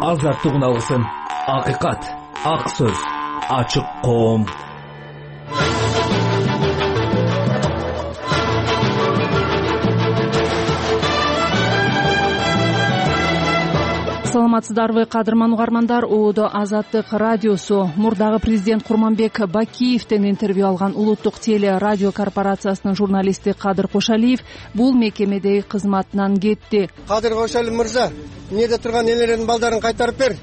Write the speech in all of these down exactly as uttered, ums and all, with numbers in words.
азаттык алгысын. Акыйкат, ак сөз, ачык коом. Саламатсыздарбы, кадырман угармандар. Оодо Азаттык радиосу. Мурдагы президент Курманбек Бакиевден интервью алган улуттук теле радио корпорациясынын журналисти Кадыр Кошалиев бул мекемедеги кызматынан кетти. Кадыр Кошалиев мырза, эмнеде турган элердин балдарын кайтарып бер.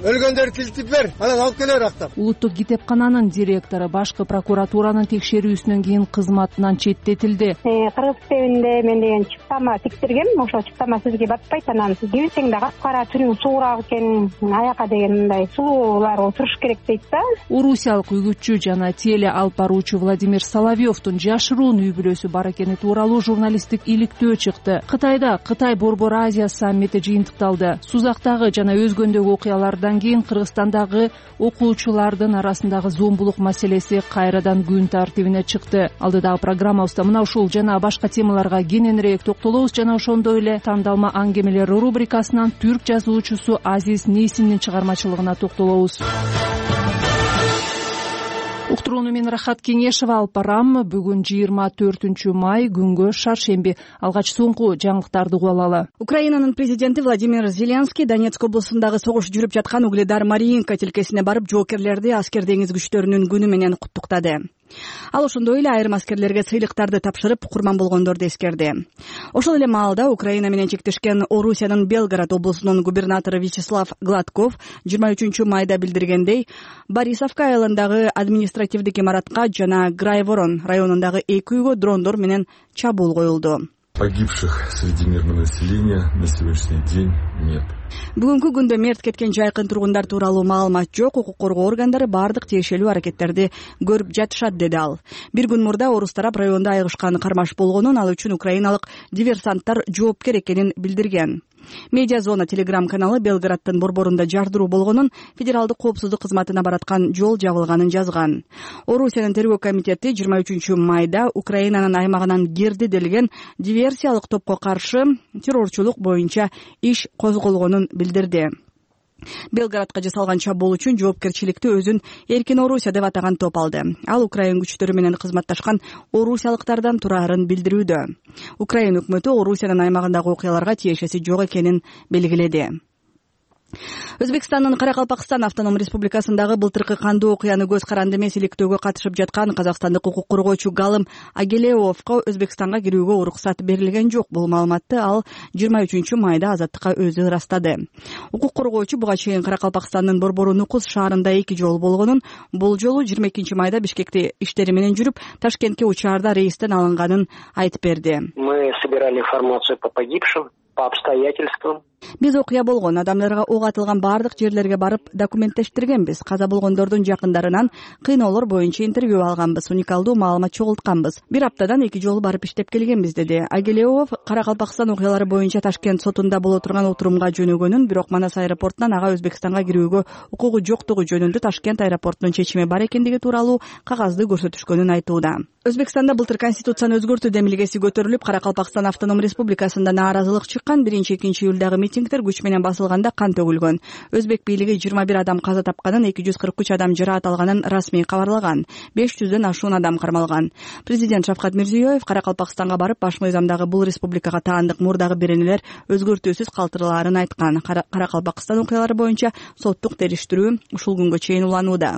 Өлгөндөрдү тилтип бер, анан алып келер актап. Улуттук китепкананын директору башкы прокуратуранын текшерүүсүнөн кийин кызматынан четтетилди. Кыргыз китебинде мен деген чыптама тиктиргем, ошо чыптама сизге батпайт, анан кибитең да капкара түрүң суураак экен, аяка деген мындай сулуулар отуруш керек дейт да. Орусиялык үгүтчү жана теле алып баруучу Владимир Соловьевдун жашыруун үй бүлөсү бар экени тууралуу журналисттик иликтөө чыкты. Кытайда Кытай Борбор Азия саммити жыйынтыкталды. Сузактагы жана өзгөндөгү окуялардан кийин Кыргызстандагы окуучулардын арасындагы зомбулук маселеси кайрадан күн тартибине чыкты. Алдыдагы программабызда мына ушул жана башка темаларга кененирээк токтолобуз жана ошондой эле тандалма аңгемелер рубрикасынан түрк жазуучусу Азиз Нейсиндин чыгармачылыгына токтолобуз. Уктурууну мен Рахат Кеңешева алып барам. Бүгүн жыйырма төртүнчү май, күнгө шаршемби. Алгач соңку жаңылыктарды угуп алалы. Украинанын президенти Владимир Зеленский Донецк облусундагы согуш жүрүп жаткан Угледар Мариинка тилкесине барып, жоокерлерди аскер деңиз күчтөрүнүн күнү менен куттуктады. Ал ошондой эле айрым аскерлерге сыйлыктарды тапшырып, курман болгондорду эскерди. Ошол эле маалда Украина менен чектешкен Орусиянын Белгород облусунун губернатору Вячеслав Гладков жыйырма үчүнчү майда билдиргендей, Борисовка айылындагы административдик имаратка жана Грайворон районундагы эки үйгө дрондор менен чабуул коюлду. Погибших среди мирного населения на сегодняшний день нет. Бүгүнкү күндө мерт кеткен жайкын тургундар тууралуу маалымат жок. Укук коргоо органдары бардык тиешелүү аракеттерди көрүп жатышат, деди ал. Бир күн мурда орус тарап райондо айыгышкан кармаш болгонун, ал үчүн украиналык диверсанттар жоопкер экенин билдирген. Медиа зона телеграм каналы Белгороддун борборунда жардыруу болгонун, федералдык коопсуздук кызматына бараткан жол жабылганын жазган. Орусиянын тергөө комитети жыйырма үчүнчү майда Украинанын аймагынан кирди делген диверсиялык топко каршы террорчулук боюнча иш козголгонун билдирди. Белгородко жасалган чабуул үчүн жоопкерчиликти өзүн Эркин Орусия деп атаган топ алды. Ал Украин күчтөрү менен кызматташкан орусиялыктардан турарын билдирүүдө. Украин өкмөтү Орусиянын аймагындагы окуяларга тиешеси жок экенин белгиледи. Өзбекстандын Каракалпакстан автоном республикасындагы былтыркы кандуу окуяны көз каранды эмес иликтөөгө катышып жаткан казакстандык укук коргоочу Галым Агелеовго Өзбекстанга кирүүгө уруксат берилген жок. Бул маалыматты ал жыйырма үчүнчү майда Азаттыкка өзү ырастады. Укук коргоочу буга чейин Каракалпакстандын борбору Нукус шаарында эки жолу болгонун, бул жолу жыйырма экинчи майда Бишкекте иштери менен жүрүп, Ташкентке учаарда рейстен алынганын айтып берди. Мы собирали информацию по погибшим, по обстоятельствам. Биз окуя болгон адамдарга ок атылган бардык жерлерге барып документтештиргенбиз. Каза болгондордун жакындарынан кыйноолор боюнча интервью алганбыз, уникалдуу маалымат чогултканбыз. Бир аптадан эки жолу барып иштеп келгенбиз, деди Агелеов. Каракалпакстан окуялары боюнча Ташкент сотунда боло турган отурумга жөнөгөнүн, бирок Манас аэропортунан ага Өзбекстанга кирүүгө укугу жоктугу жөнүндө Ташкент аэропортунун чечими бар экендиги тууралуу кагазды көрсөтүшкөнүн айтууда. Өзбекстанда былтыр конституцияны өзгөртүү демилгеси көтөрүлүп, Каракалпакстан автоном республикасында нааразылык чыккан. Биринчи-экинчи июлдагы митингдер күч менен басылганда кан төгүлгөн. Өзбек бийлиги жыйырма бир адам каза тапканын, эки жүз кырк үч адам жараат алганын расмий кабарлаган. беш жүздөн ашуун адам кармалган. Президент Шавкат Мирзиёев Каракалпакстанга барып, баш мыйзамдагы бул республикага таандык мурдагы беренелер өзгөртүүсүз калтырылаарын айткан. Каракалпакстан окуялары боюнча соттук териштирүү ушул күнгө чейин уланууда.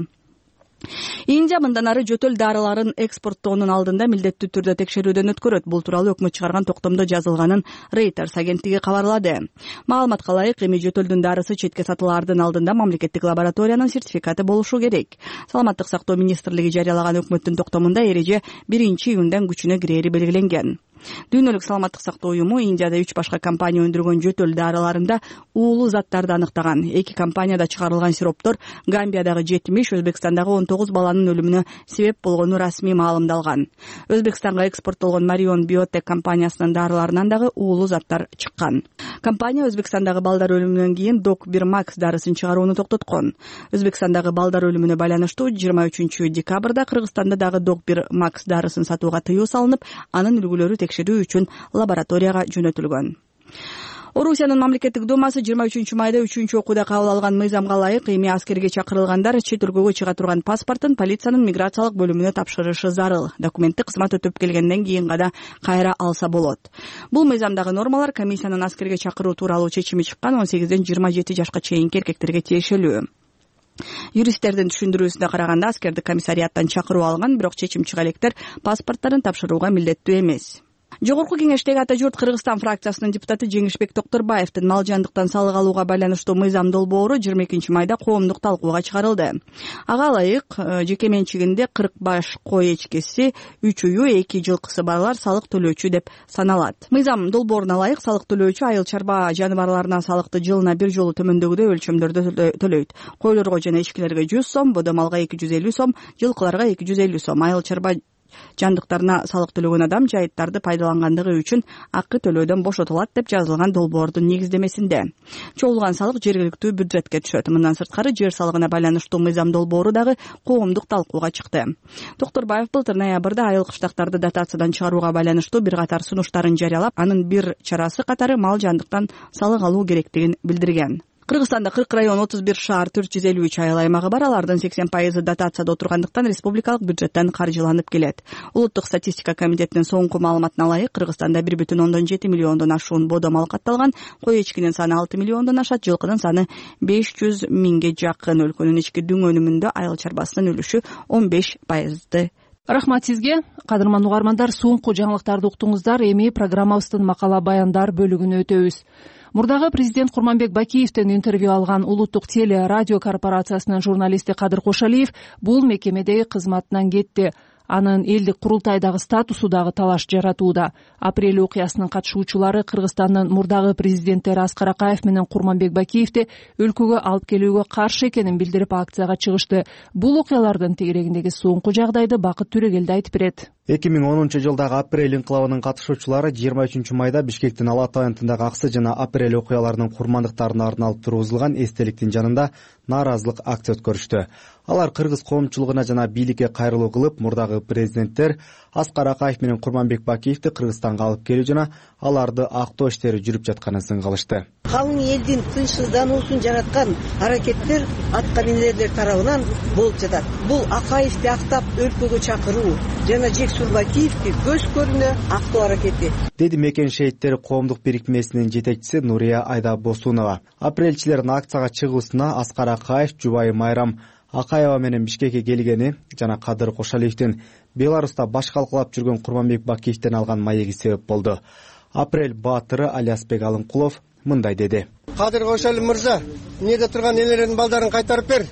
Индия мындан ары жөтөл дарыларын экспорттоонун алдында милдеттүү түрдө текшерүүдөн өткөрөт. Бул тууралуу өкмөт чыгарган токтомдо жазылганын Reuters агенттиги кабарлады. Маалыматка ылайык, эми жөтөлдүн дарысы четке сатылаардын алдында мамлекеттик лабораториянын сертификаты болушу керек. Саламаттык сактоо министрлиги жарыялаган өкмөттүн токтомунда эреже биринчи июндан күчүнө кирери белгиленген. Дүйнөлүк саламаттык сактоо уюму Индияда үч башка компания өндүргөн жөтөл дарыларында уулуу заттарды аныктаган. Эки компанияда чыгарылган сироптор Гамбиядагы жетимиш, Өзбекстандагы он тогуз баланын өлүмүнө себеп болгону расмий маалымдалган. Өзбекстанга экспорттолгон Marion Biotech компаниясынын дарыларынан дагы уулуу заттар чыккан. Компания Өзбекстандагы балдар өлүмүнөн кийин Док бир Макс дарысын чыгарууну токтоткон. Өзбекстандагы балдар өлүмүнө байланыштуу жыйырма үчүнчү декабрда Кыргызстанда дагы Док бир Макс дарысын сатууга тыюу салынып, анын үлгүлөрү текшерүү үчүн лабораторияга жөнөтүлгөн. Орусиянын мамлекеттик думасы жыйырма үчүнчү майда үчүнчү окууда кабыл алган мыйзамга ылайык эми аскерге чакырылгандар чет өлкөгө чыга турган паспортун полициянын миграциялык бөлүмүнө тапшырышы зарыл. Документти кызмат өтөп келгенден кийин гана кайра алса болот. Бул мыйзамдагы нормалар комиссиянын аскерге чакыруу тууралуу чечими чыккан он сегизден жыйырма жети жашка чейинки эркектерге тиешелүү. Юристтердин түшүндүрүүсүнө караганда аскерди комиссарияттан чакыруу алган, бирок чечим чыга электер паспортторун тапшырууга милдеттүү эмес. Жогорку кеңештеги ата журт Кыргызстан фракциясынын депутаты Жеңишбек Токторбаевдин мал жандыктан салык алууга байланыштуу мыйзам долбоору жыйырма экинчи майда коомдук талкууга чыгарылды. Ага ылайык жеке менчигинде кырк баш кой эчкеси, үч уюу, эки жылкысы барлар салык төлөөчү деп саналат. Мыйзам долбооруна ылайык салык төлөөчү айыл чарба жаныбарларына салыкты жылына бир жолу төмөндөгүдөй өлчөмдөрдө төлөйт. Койлорго жана эчкилерге жүз сом, бодо малга эки жүз элүү сом, жылкыларга эки жүз элүү сом. Айыл чарба жандыктарына салык төлөгөн адам жайыттарды пайдалангандыгы үчүн акы төлөөдөн бошотулат деп жазылган долбоордун негиздемесинде. Чогулган салык жергиликтүү бюджетке түшөт. Мындан сырткары жер салыгына байланыштуу мыйзам долбоору дагы коомдук талкууга чыкты. Токторбаев былтыр ноябрда айыл кыштактарды дотациядан чыгарууга байланыштуу бир катар сунуштарын жарыялап, анын бир чарасы катары мал жандыктан салык алуу керектигин билдирген. Кыргызстанда кырк район, отуз бир шаар, төрт жүз элүү үч айыл аймагы бар. Алардын сексен пайызы дотацияда отургандыктан республикалык бюджеттен каржыланып келет. Улуттук статистика комитетинин соңку маалыматына ылайык, Кыргызстанда бир бүтүн ондон жети миллиондон ашуун бодо мал катталган, кой эчкинин саны алты миллиондон ашат, жылкынын саны беш жүз миңге жакын. Өлкөнүн ички дүң өнүмүндө айыл чарбасынын үлүшү он беш пайызды. Рахмат сизге. Кадырман угармандар, соңку жаңылыктарды уктуңуздар. Эми программабыздын макала баяндар бөлүгүнө өтөбүз. Мурдагы президент Курманбек Бакиевден интервью алган Улуттук теле радио корпорациясынын журналисти Кадыр Кошалиев бул мекемедеги кызматынан кетти. Анын элдик курултайдагы статусу дагы талаш жаратууда. Апрель окуясынын катышуучулары Кыргызстандын мурдагы президенттери Аскар Акаев менен Курманбек Бакиевди өлкөгө алып келүүгө каршы экенин билдирип акцияга чыгышты. Бул окуялардын тегерегиндеги соңку жагдайды Бакыт Түрөгелди айтып берет. эки миң онунчу жылдагы апрель инкылабынын катышуучулары жыйырма үчүнчү майда Бишкектин Ала Ата районундагы Аксы жана апрель окуяларынын курмандыктарына арналып тургузулган эстеликтин жанында нааразылык акция өткөрүштү. Алар кыргыз коомчулугуна жана бийликке кайрылуу кылып, мурдагы президенттер Аскар Акаев менен Курманбек Бакиевди Кыргызстанга алып келүү жана аларды актоо иштери жүрүп жатканын сынгалышты. Калың элдин тынчсыздануусун жараткан аракеттер аткаминерлер тарабынан болуп жатат. Бул Акаевди актап өлкөгө чакыруу жана Жексур Бакиевди көз көрүнө актоо аракети, деди Мекен шейиттери коомдук бирикмесинин жетекчиси Нурия Айда-Босунова. Апрелчилердин акцияга чыгуусуна Аскар Акаев, жубайы Майрам Акаева менен Бишкекке келгени жана Кадыр Кошалиевдин Беларуста баш калкалап жүргөн Курманбек Бакиевден алган маеги себеп болду. Апрель баатыры Алиасбек Алынкулов мындай деди. Кадыр Кошалиев мырза, эмнеде турган элердин балдарын кайтарып бер.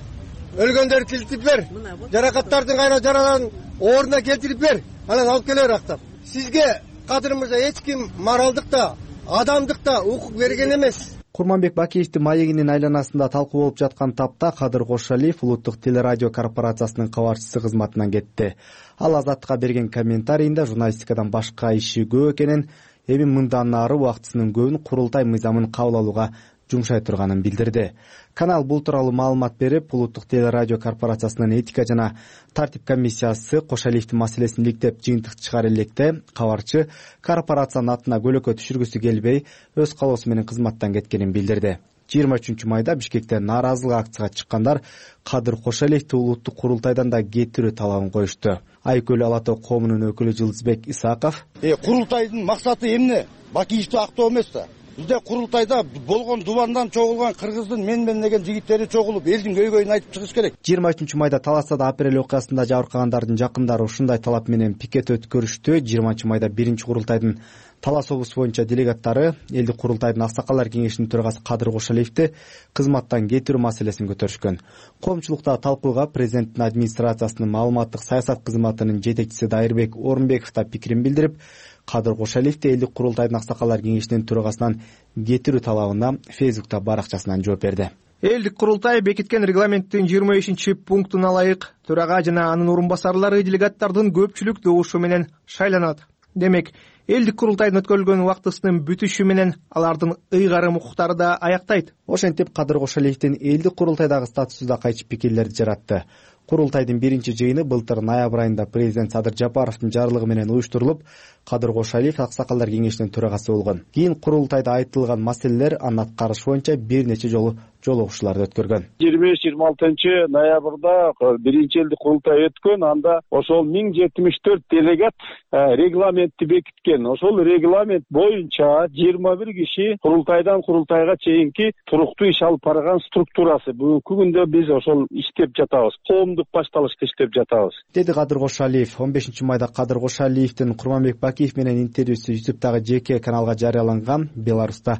Өлгөндөрдү тилтип бер. Жаракаттардын кайра жараларын ордуна келтирип бер. Анан алып келер актап. Сизге Кадыр мырза эч ким моралдык да, адамдык да укук берген эмес. Курманбек Бакиевдин маегинин айланасында талкуу болуп жаткан тапта Кадыр Кошалиев Улуттук телерадио корпорациясынын кабарчысы кызматынан кетти. Ал Азаттыкка берген комментарийинде журналистикадан башка иши көп экенин, эми мындан ары убактысынын көбүн курултай мыйзамын кабыл алууга жумшай турганын билдирди. Канал бул тууралуу маалымат берип, Улуттук телерадио корпорациясынын этика жана тартип комиссиясы Кошалиевдин маселесин иликтеп жыйынтык чыгар электе, кабарчы корпорациянын атына көлөкө түшүргүсү келбей, өз калоосу менен кызматтан кеткенин билдирди. жыйырма үчүнчү майда Бишкекте нааразылык акцияга чыккандар Кадыр Кошалиевди улуттук курултайдан да кетирүү талабын коюшту. Айкөл Ала Тоо коомунун өкүлү Жылдызбек Исаков: "Э, курултайдын максаты эмне? Бакиевди актоо эмес да. Бизде курултайда болгон дубандан чогулган кыргыздын мен мен деген жигиттери чогулуп, элдин көйгөйүн айтып чыгыш керек." жыйырма үчүнчү майда Таластада апрель окуясында жабыркагандардын жакындары ушундай талап менен пикет өткөрүштү. жыйырманчы майда биринчи курултайдын Талас облусу боюнча делегаттары элдик курултайдын Аксакалдар кеңешинин төрагасы Кадыр Кошалиевди кызматтан кетирүү маселесин көтөрүшкөн. Коомчулукта талкууга президенттин администрациясынын маалыматтык саясат кызматынын жетекчиси Дайырбек Орунбеков да пикирин билдирип, Кадыр Кошалиевди элдик курултайдын Аксакалдар кеңешинин төрагасынан кетирүү талабына Фейсбукта баракчасынан жооп берди. Элдик курултай бекиткен регламенттин жыйырма бешинчи пунктуна ылайык төрага жана анын орун басарлары делегаттардын көпчүлүк добушу менен шайланат. Демек, элдик курултайдын өткөрүлгөн убактысынын бүтүшү менен алардын ыйгарым укуктары да аяктайт. Ошентип Кадыр Кошалиевдин элдик курултайдагы статусу да кайчы пикирлерди жаратты. Курултайдын биринчи жыйыны былтыр ноябрь айында президент Садыр Жапаровдун жарлыгы менен уюштурулуп, Кадыр Кошалиев Аксакалдар кеңешинин төрагасы болгон. Кийин курултайда айтылган маселелер анын аткарышы боюнча бир нече жолу жолугушууларды өткөргөн. жыйырма беш жыйырма алтынчы ноябрда биринчи элдик курултай өткөн. Анда ошол миң жетимиш төрт делегат регламентти бекиткен. Ошол регламент боюнча жыйырма бир киши курултайдан курултайга чейинки туруктуу иш алып барган структурасы. Бүгүнкү күндө биз ошол иштеп жатабыз. Коомдук башталышта иштеп жатабыз, деди Кадыр Кошалиев. он бешинчи майда Кадыр Кошалиевдин Курманбек Бакиев менен интервьюсу ютубтагы жеке каналга жарыяланган. Беларуста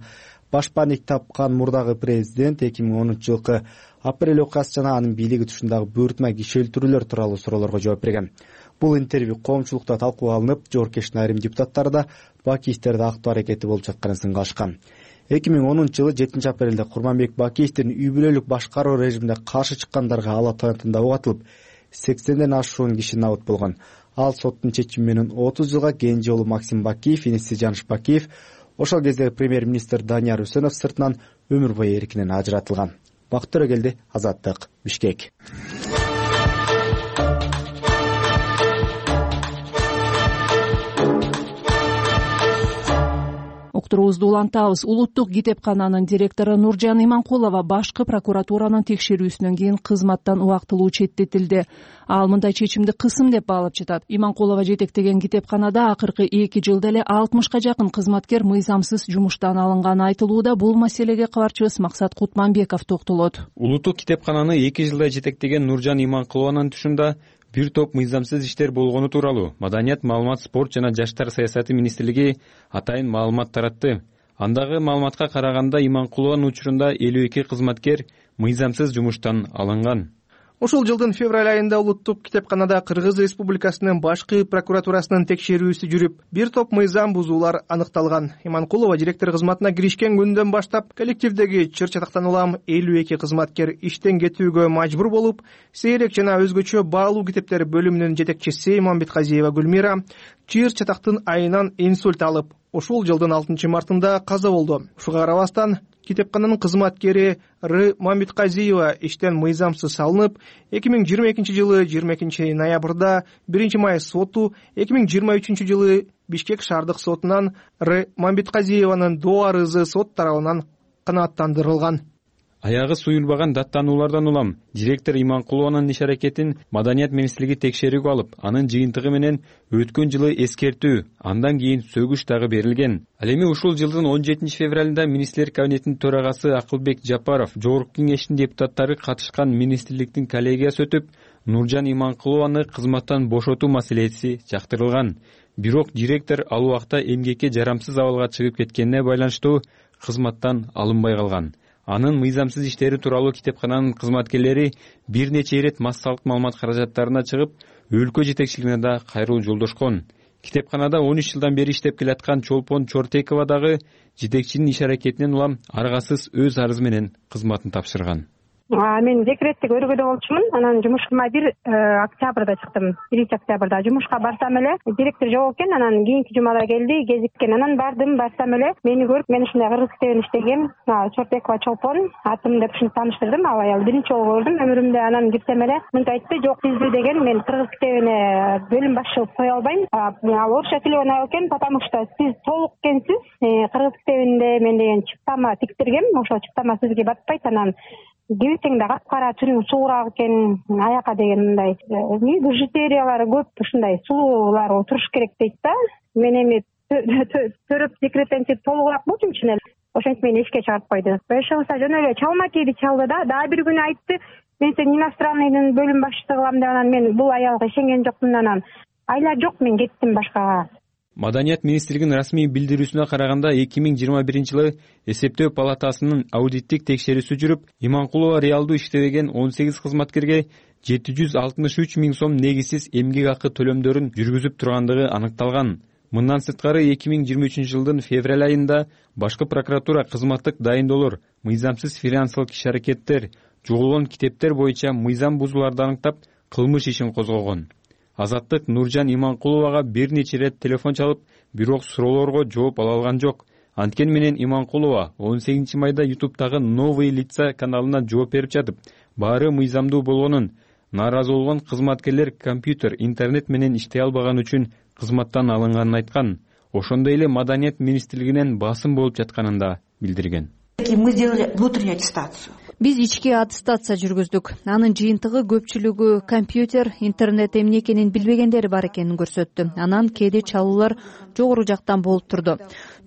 башпаник тапкан мурдагы президент эки миң онунчу жылкы апрель окуясы жана анын бийлиги тушундагы буйртма киши өлтүрүүлөр тууралуу суроолорго жооп берген. Бул интервью коомчулукта талкууга алынып, жоопкерчиликтин айрым депутаттары да Бакиевтерди актоо аракети болуп жатканын сынга алышкан. эки миң онунчу жылы жетинчи апрелде Курманбек Бакиевдин үй бүлөлүк башкаруу режимине каршы чыккандарга ала таянтында ок атылып, сексенден ашуун киши набыт болгон. Ал соттун чечими менен отуз жылга, кенже уулу Максим Бакиев, иниси Жаныш Бакиев, ошол кездеги премьер-министр Данияр Үсөнов сыртынан өмүр бою эркинен ажыратылган. Бакыт Төрөгелди, Азаттык, Бишкек. Уктуруубузду улантабыз. Улуттук китепкананын директору Нуржан Иманкулова башкы прокуратуранын текшерүүсүнөн кийин кызматтан убактылуу четтетилди. Ал мындай чечимди кысым деп баалап жатат. Иманкулова жетектеген китепканада акыркы эки жылда эле алтымышка жакын кызматкер мыйзамсыз жумуштан алынганы айтылууда. Бул маселеге кабарчыбыз Максат Кутманбеков токтолот. Улуттук китепкананы эки жылда жетектеген Нуржан Иманкулованын түшүндө бир топ мыйзамсыз иштер болгону тууралуу Маданият, маалымат, спорт жана жаштар саясаты министрлиги атайын маалымат таратты. Андагы маалыматка караганда Иманкулованын учурунда элүү эки кызматкер мыйзамсыз жумуштан алынган. Ушул жылдын февраль айында улуттук китепканада Кыргыз Республикасынын башкы прокуратурасынын текшерүүсү жүрүп, бир топ мыйзам бузуулар аныкталган. Иманкулова директор кызматына киришкен күндөн баштап коллективдеги чыр-чатактан улам элүү эки кызматкер иштен кетүүгө мажбур болуп, сейрек жана өзгөчө баалуу китептер бөлүмүнүн жетекчиси Мамбетказиева Гүлмира чыр-чатактын айынан инсульт алып, ушул жылдын алтынчы мартында каза болду. Ушуга карабастан китепкананын кызматкери Р. Мамбетказиева иштен мыйзамсыз салынып, эки миң жыйырма экинчи жылы жыйырма экинчи ноябрда биринчи май соту, эки миң жыйырма үчүнчү жылы Бишкек шаардык сотунан Р. Мамбетказиеванын доо арызы сот тарабынан канааттандырылган. Аягы суюлбаган даттануулардан улам директор Иманкулованын иш аракетин Маданият министрлиги текшерүүгө алып, анын жыйынтыгы менен өткөн жылы эскертүү, андан кийин сөгүш дагы берилген. Ал эми ушул жылдын он жетинчи февралында министрлер кабинетинин төрагасы Акылбек Жапаров, жогорку кеңештин депутаттары катышкан министрликтин коллегиясы өтүп, Нуржан Иманкулованы кызматтан бошотуу маселеси чактырылган. Бирок директор ал убакта эмгекке жарамсыз абалга чыгып кеткенине байланыштуу кызматтан алынбай калган. Анын мыйзамсыз иштери тууралуу китепкананын кызматкерлери бир нече ирет массалык маалымат каражаттарына чыгып, өлкө жетекчилигине да кайрылуу жолдошкон. Китепканада он үч жылдан бери иштеп келаткан Чолпон Чортекова дагы жетекчинин иш аракетинен улам аргасыз өз арызы менен кызматын тапшырган. Мен декреттик өргөдө болчумун. Анан жумушка бир октябрда чыктым. биринчи октябрда жумушка барсам эле директор жок экен. Анан кийинки жумада келди, кезиккен. Анан бардым, барсам эле мени көрүп, мен ушундай кыргыз китебин иштегем. Чортекова Чолпон атым деп ушинтип тааныштырдым. Ал аял биринчи жолу көрдүм өмүрүмдө. Анан кирсем эле мынтип айтты: "Жок, сизди деген мен кыргыз китебине бөлүм башчы кылып кое албайм. Ал орусча сүйлөгөн айыл экен, потому что сиз толук экенсиз. Кыргыз китебинде мен деген чыктама тиктиргем. Ошол чыктама сизге батпайт. Анан кибисең да капкара, түрүң суураак экен, аяка деген мындай бижутериялары көп, ушундай сулуулар туруш керек дейт да. Мен эми төрөп секретенчип толугураак болчумун чын эле. Ошентип мени эшикке чыгарып койду. Ошондо жөн эле чалма кийди, чалды да. Дагы бир күнү айтты: "Мен сени иностранныйдын бөлүм башчысы кылам" деп. Анан мен бул аялга ишенген жокмун. Анан айла жок, мен кеттим башкага. Маданият министрлигинин расмий билдирүүсүнө караганда эки миң жыйырма биринчи жылы эсептөө палатасынын аудиттик текшерүүсү жүрүп, Иманкулова реалдуу иштебеген он сегиз кызматкерге жети жүз алтымыш үч миң сом негизсиз эмгек акы төлөмдөрүн жүргүзүп тургандыгы аныкталган. Мындан сырткары эки миң жыйырма үчүнчү жылдын февраль айында башкы прокуратура кызматтык дайындоолор, мыйзамсыз финансылык иш-аракеттер, жоголгон китептер боюнча мыйзам бузууларды аныктап, кылмыш ишин козгогон. Азаттык Нуржан Иманкуловага бир нече ирет телефон чалып, бирок суроолорго жооп ала алган жок. Анткени менен Иманкулова он сегизинчи майда ютубтагы Новые лица каналына жооп берип жатып, баары мыйзамдуу болгонун, Нааразы болгон кызматкерлер компьютер, интернет менен иштей албаган үчүн кызматтан алынганын айткан. Ошондой эле Маданият министрлигинен басым болуп жатканын да билдирген. Мы сделали внутреннюю аттестацию. Биз ички аттестация жүргүздүк. Анын жыйынтыгы көпчүлүгү компьютер, интернет эмне экенин билбегендери бар экенин көрсөттү. Анан кээде чалуулар жогору жактан болуп турду.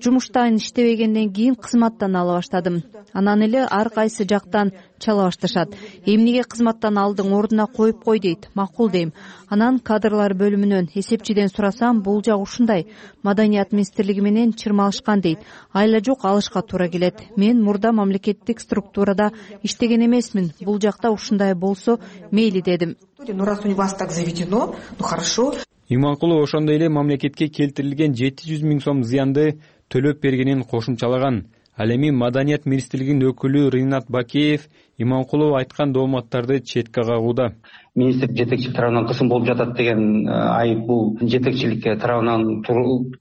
Жумуштан иштебегенден кийин кызматтан ала баштадым. Анан эле ар кайсы жактан чала башташат. Эмнеге кызматтан алдың, ордуна коюп кой дейт. Макул дейм. Анан кадрлар бөлүмүнөн эсепчиден сурасам, бул жак ушундай. Маданият министрлиги менен чырмалышкан дейт. Айла жок, алышка туура келет. Мен мурда мамлекеттик структурада иштеген эмесмин. Бул жакта ушундай болсо мейли дедим. Ну раз у вас так заведено, ну хорошо. Иманкулов ошондой эле мамлекетке келтирилген жети жүз миң сом зыянды төлөп бергенин кошумчалаган. Ал эми Маданият министрлигинин өкүлү Ринат Бакеев Иманкулов айткан дооматтарды четке кагууда. Министрлик жетекчилик тарабынан кысым болуп жатат деген айып бул жетекчиликке тарабынан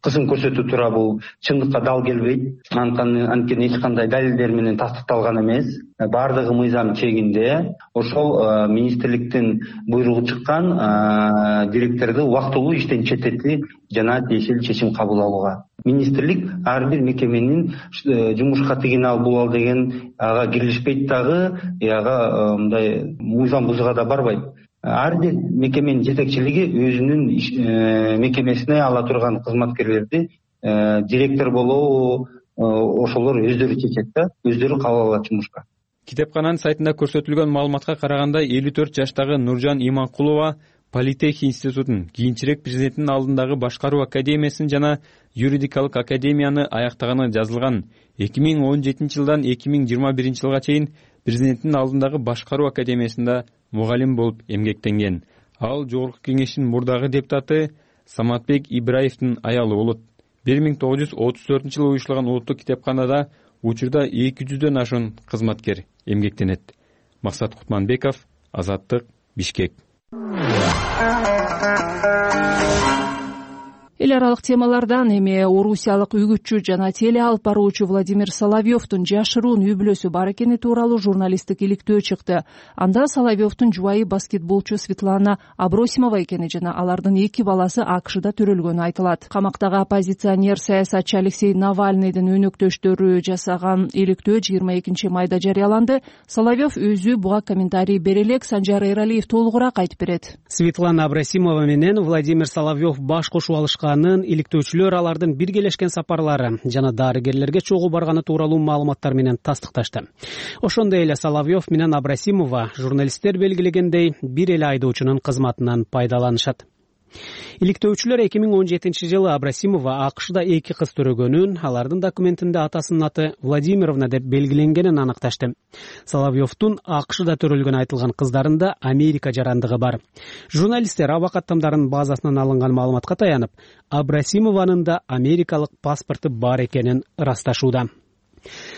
кысым көрсөтүү туура бул чындыкка дал келбейт. Анткени эч кандай далилдер менен тастыкталган эмес. Бардыгы мыйзам чегинде. Ошол министрликтин буйругу чыккан директорду убактылуу иштен четтетти жана тиешелүү чечим кабыл алууга. Министрлик ар бир мекеменин жумушка тигине албоо деген ага кирилишпейт дагы, ага мындай мыйзам бузууга да барбайт. Ар бир мекеменин жетекчилиги өзүнүн мекемесине ала турган кызматкерлерди директор болобу ошолор өздөрү чечет да, өздөрү кабыл алат жумушка. Китепкананын сайтында көрсөтүлгөн маалыматка караганда элүү төрт жаштагы Нуржан Иманкулова Политех институтун, кийинчерээк президенттин алдындагы башкаруу академиясын жана юридикалык академияны аяктаганы жазылган. эки миң он жетинчи жылдан эки миң жыйырма биринчи жылга чейин президенттин алдындагы башкаруу академиясында мугалим болуп эмгектенген. Ал Жогорку кеңештин мурдагы депутаты Саматбек Ибраевдин аялы болот. бир миң тогуз жүз отуз төртүнчү жылы уюштурулган улуттук китепканада учурда эки жүздөн ашуун кызматкер эмгектенет. Максат Кутманбеков, Азаттык, Бишкек. Эл аралык темалардан эми орусиялык үгүтчү жана теле алып баруучу Владимир Соловьевдун жашыруун үй бүлөсү бар экени тууралуу журналисттик иликтөө чыкты. Анда Соловьевдун жубайы баскетболчу Светлана Абросимова экени жана алардын эки баласы АКШда төрөлгөнү айтылат. Камактагы оппозиционер саясатчы Алексей Навальныйдын өнөктөштөрү жасаган иликтөө жыйырма экинчи майда жарыяланды. Соловьев өзү буга комментарий бере элек, Санжар Эралиев толугураак айтып берет. Светлана Абросимова менен Владимир Соловьев баш кошуп алышкан. Иликтөөчүлөр алардын биргелешкен сапарлары жана дарыгерлерге чогуу барганы тууралуу маалыматтар менен тастыкташты. Ошондой эле Соловьев менен Абросимова журналисттер белгилегендей бир эле айдоочунун кызматынан пайдаланышат. Иликтөөчүлөр эки миң он жетинчи жылы Абросимова АКШда эки кыз төрөгөнүн, алардын документинде атасынын аты Владимировна деп белгиленгенин аныкташты. Соловьевдун АКШда төрөлгөнү айтылган кыздарында Америка жарандыгы бар. Журналисттер абакаттамдардын базасынан алынган маалыматка таянып, Абросимованын да америкалык паспорту бар экенин ырасташууда.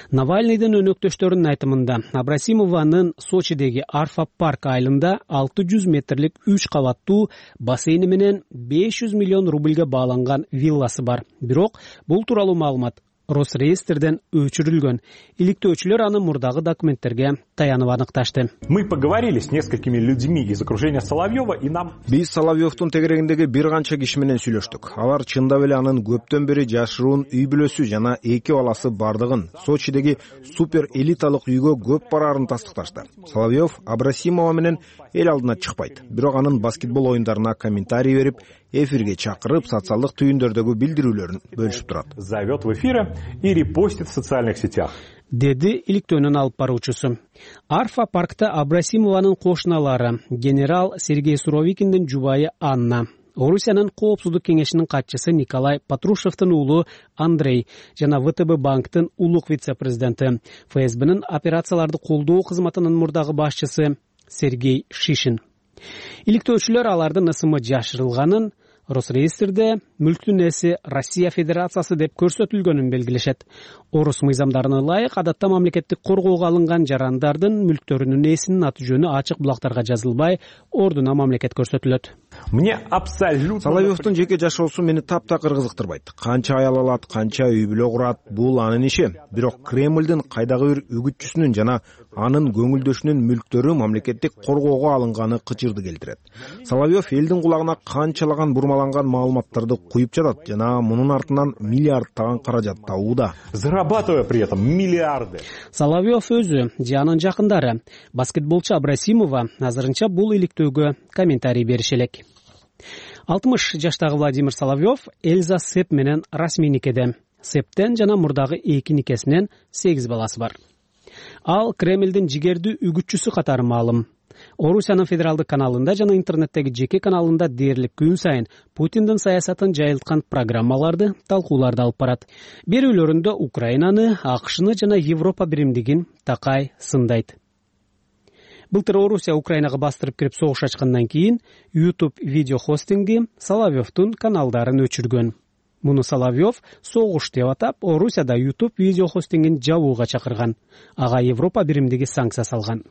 Навальныйдын өнөктөштөрүнүн айтымында Абросимованын Сочидеги Арфа парк айылында алты жүз метрлик үч кабаттуу бассейни менен беш жүз миллион рубльге бааланган вилласы бар. Бирок бул тууралуу маалымат Росреестрден өчүрүлгөн. Иликтөөчүлөр аны мурдагы документтерге таянып аныкташты. Мы поговорили с несколькими людьми из окружения Соловьева и нам... Биз Соловьевдун тегерегиндеги бир канча киши менен сүйлөштүк. Алар чындап эле анын көптөн бери жашыруун үй бүлөсү жана эки баласы бардыгын, Сочидеги супер элиталык үйгө көп бараарын тастыкташты. Соловьев Абросимова менен эл алдына чыкпайт. Бирок анын баскетбол оюндарына комментарий берип, эфирге чакырып, социалдык түйүндөрдөгү билдирүүлөрүн бөлүшүп турат. Зовет в эфиры и репостит в социальных сетях. Деди иликтөөнүн алып баруучусу. Арфа паркта Абросимованын кошуналары генерал Сергей Суровикиндин жубайы Анна, Орусиянын коопсуздук кеңешинин катчысы Николай Патрушевдин уулу Андрей жана ВТБ банктын улук вице-президенти, ФСБнын операцияларды колдоо кызматынын мурдагы башчысы Сергей Шишин. Иликтөөчүлөр алардын ысымы жашырылганын, Росреестрде мүлктүн ээси Россия Федерациясы деп көрсөтүлгөнүн белгилешет. Орус мыйзамдарына ылайык адатта мамлекеттик коргоого алынган жарандардын мүлктөрүнүн ээсинин аты жөнү ачык булактарга жазылбай, ордуна мамлекет көрсөтүлөт. Мне абсолютно Соловьевдун жеке жашоосу мени таптакыр кызыктырбайт. Канча аял алат, канча үй бүлө курат, бул анын иши. Бирок Кремлдин кайдагы бир үгүтчүсүнүн жана анын көңүлдөшүнүн мүлктөрү мамлекеттик коргоого алынганы кычырды келтирет. Соловьев элдин кулагына канчалаган бурмаланган маалыматтарды куюп жатат жана мунун артынан миллиардтаган каражат табууда. Зарабатывая при этом миллиарды. Соловьев өзү же анын жакындары баскетболчу Абрасимова азырынча бул иликтөөгө комментарий бериши элек. алтымыш жаштагы Владимир Соловьев Эльза Сэп менен расмий никеде. Сэптен жана мурдагы эки никесинен сегиз баласы бар. Ал Кремлдин жигердүү үгүтчүсү катары маалым. Орусиянын федералдык каналында жана интернеттеги жеке каналында дээрлик күн сайын Путиндин саясатын жайылткан программаларды, талкууларды алып барат. Берүүлөрүндө Украинаны, АКШны жана Европа биримдигин такай сындайт. Былтыр Орусия Украинага бастырып кирип согуш ачкандан кийин YouTube видео хостинги Соловьевдун каналдарын өчүргөн. Муну Соловьев согуш деп атап, Орусияда YouTube видео хостингин жабууга чакырган. Ага Европа биримдиги санкция салган.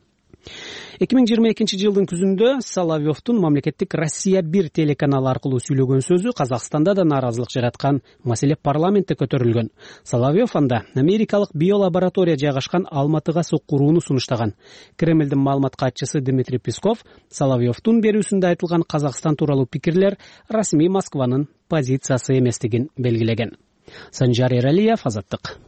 эки миң жыйырма экинчи жылдын күзүндө Соловьевдун мамлекеттик Россия бир телеканалы аркылуу сүйлөгөн сөзү Казакстанда да нааразылык жараткан, маселе парламентте көтөрүлгөн. Соловьев анда америкалык биолаборатория жайгашкан Алматыга соккурууну сунуштаган. Кремлдин маалымат катчысы Дмитрий Песков Соловьевдун берүүсүндө айтылган Казакстан тууралуу пикирлер расмий Москванын позициясы эместигин белгилеген. Санжар Эралиев, Азаттык.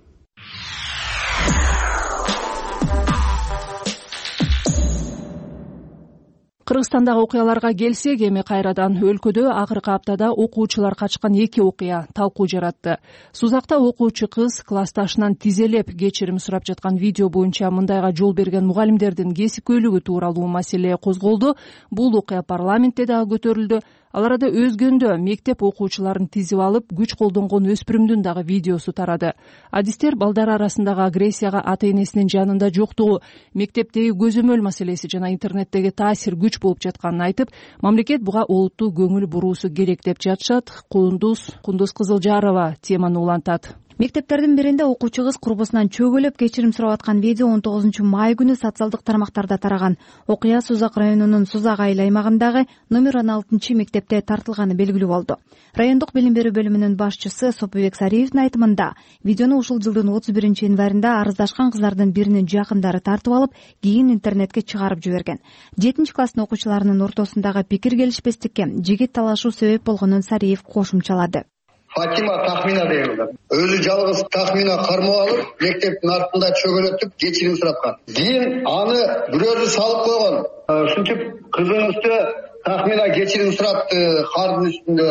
Кыргызстандагы окуяларга келсек, эми кайрадан өлкөдө акыркы аптада окуучулар качкан эки окуя талкуу жаратты. Сузакта окуучу кыз классташынан тизелеп кечирим сурап жаткан видео боюнча мындайга жол берген мугалимдердин кесипкөйлүгү тууралуу маселе козголду. Бул окуя парламентте дагы көтөрүлдү. Ал арада өзгөндө мектеп окуучуларын тизип алып, күч колдонгон өспүрүмдүн дагы видеосу тарады. Адистер балдар арасындагы агрессияга ата-энесинин жанында жоктугу, мектептеги көзөмөл маселеси жана интернеттеги таасир күч болуп жатканын айтып, мамлекет буга олуттуу көңүл буруусу керек деп жатышат. Кундуз Кундуз Кызылжарова теманы улантат. Мектептердин биринде окуучу кыз курбусунан чөгөлөп кечирим сурап аткан видео он тогузунчу май күнү социалдык тармактарда тараган. Окуя Сузак районунун Сузак айыл аймагындагы номер он алтынчы мектепте тартылганы белгилүү болду. Райондук билим берүү бөлүмүнүн башчысы Сопубек Сариевдин айтымында, видеону ушул жылдын отуз биринчи январында арыздашкан кыздардын биринин жакындары тартып алып, кийин интернетке чыгарып жиберген. жетинчи класстын окуучуларынын ортосундагы пикир келишпестикке жигит талашуу себеп болгонун Сариев кошумчалады. Фатима Тахмина деген өзү жалгыз Тахмина кармоо алып, мектептин артында чөгөлөтүп кечирим сурапкан. Кийин аны бирөөсү салып койгон. Ушинтип кыздын үстү Тахмина кечирим сурапты кардын үстүндө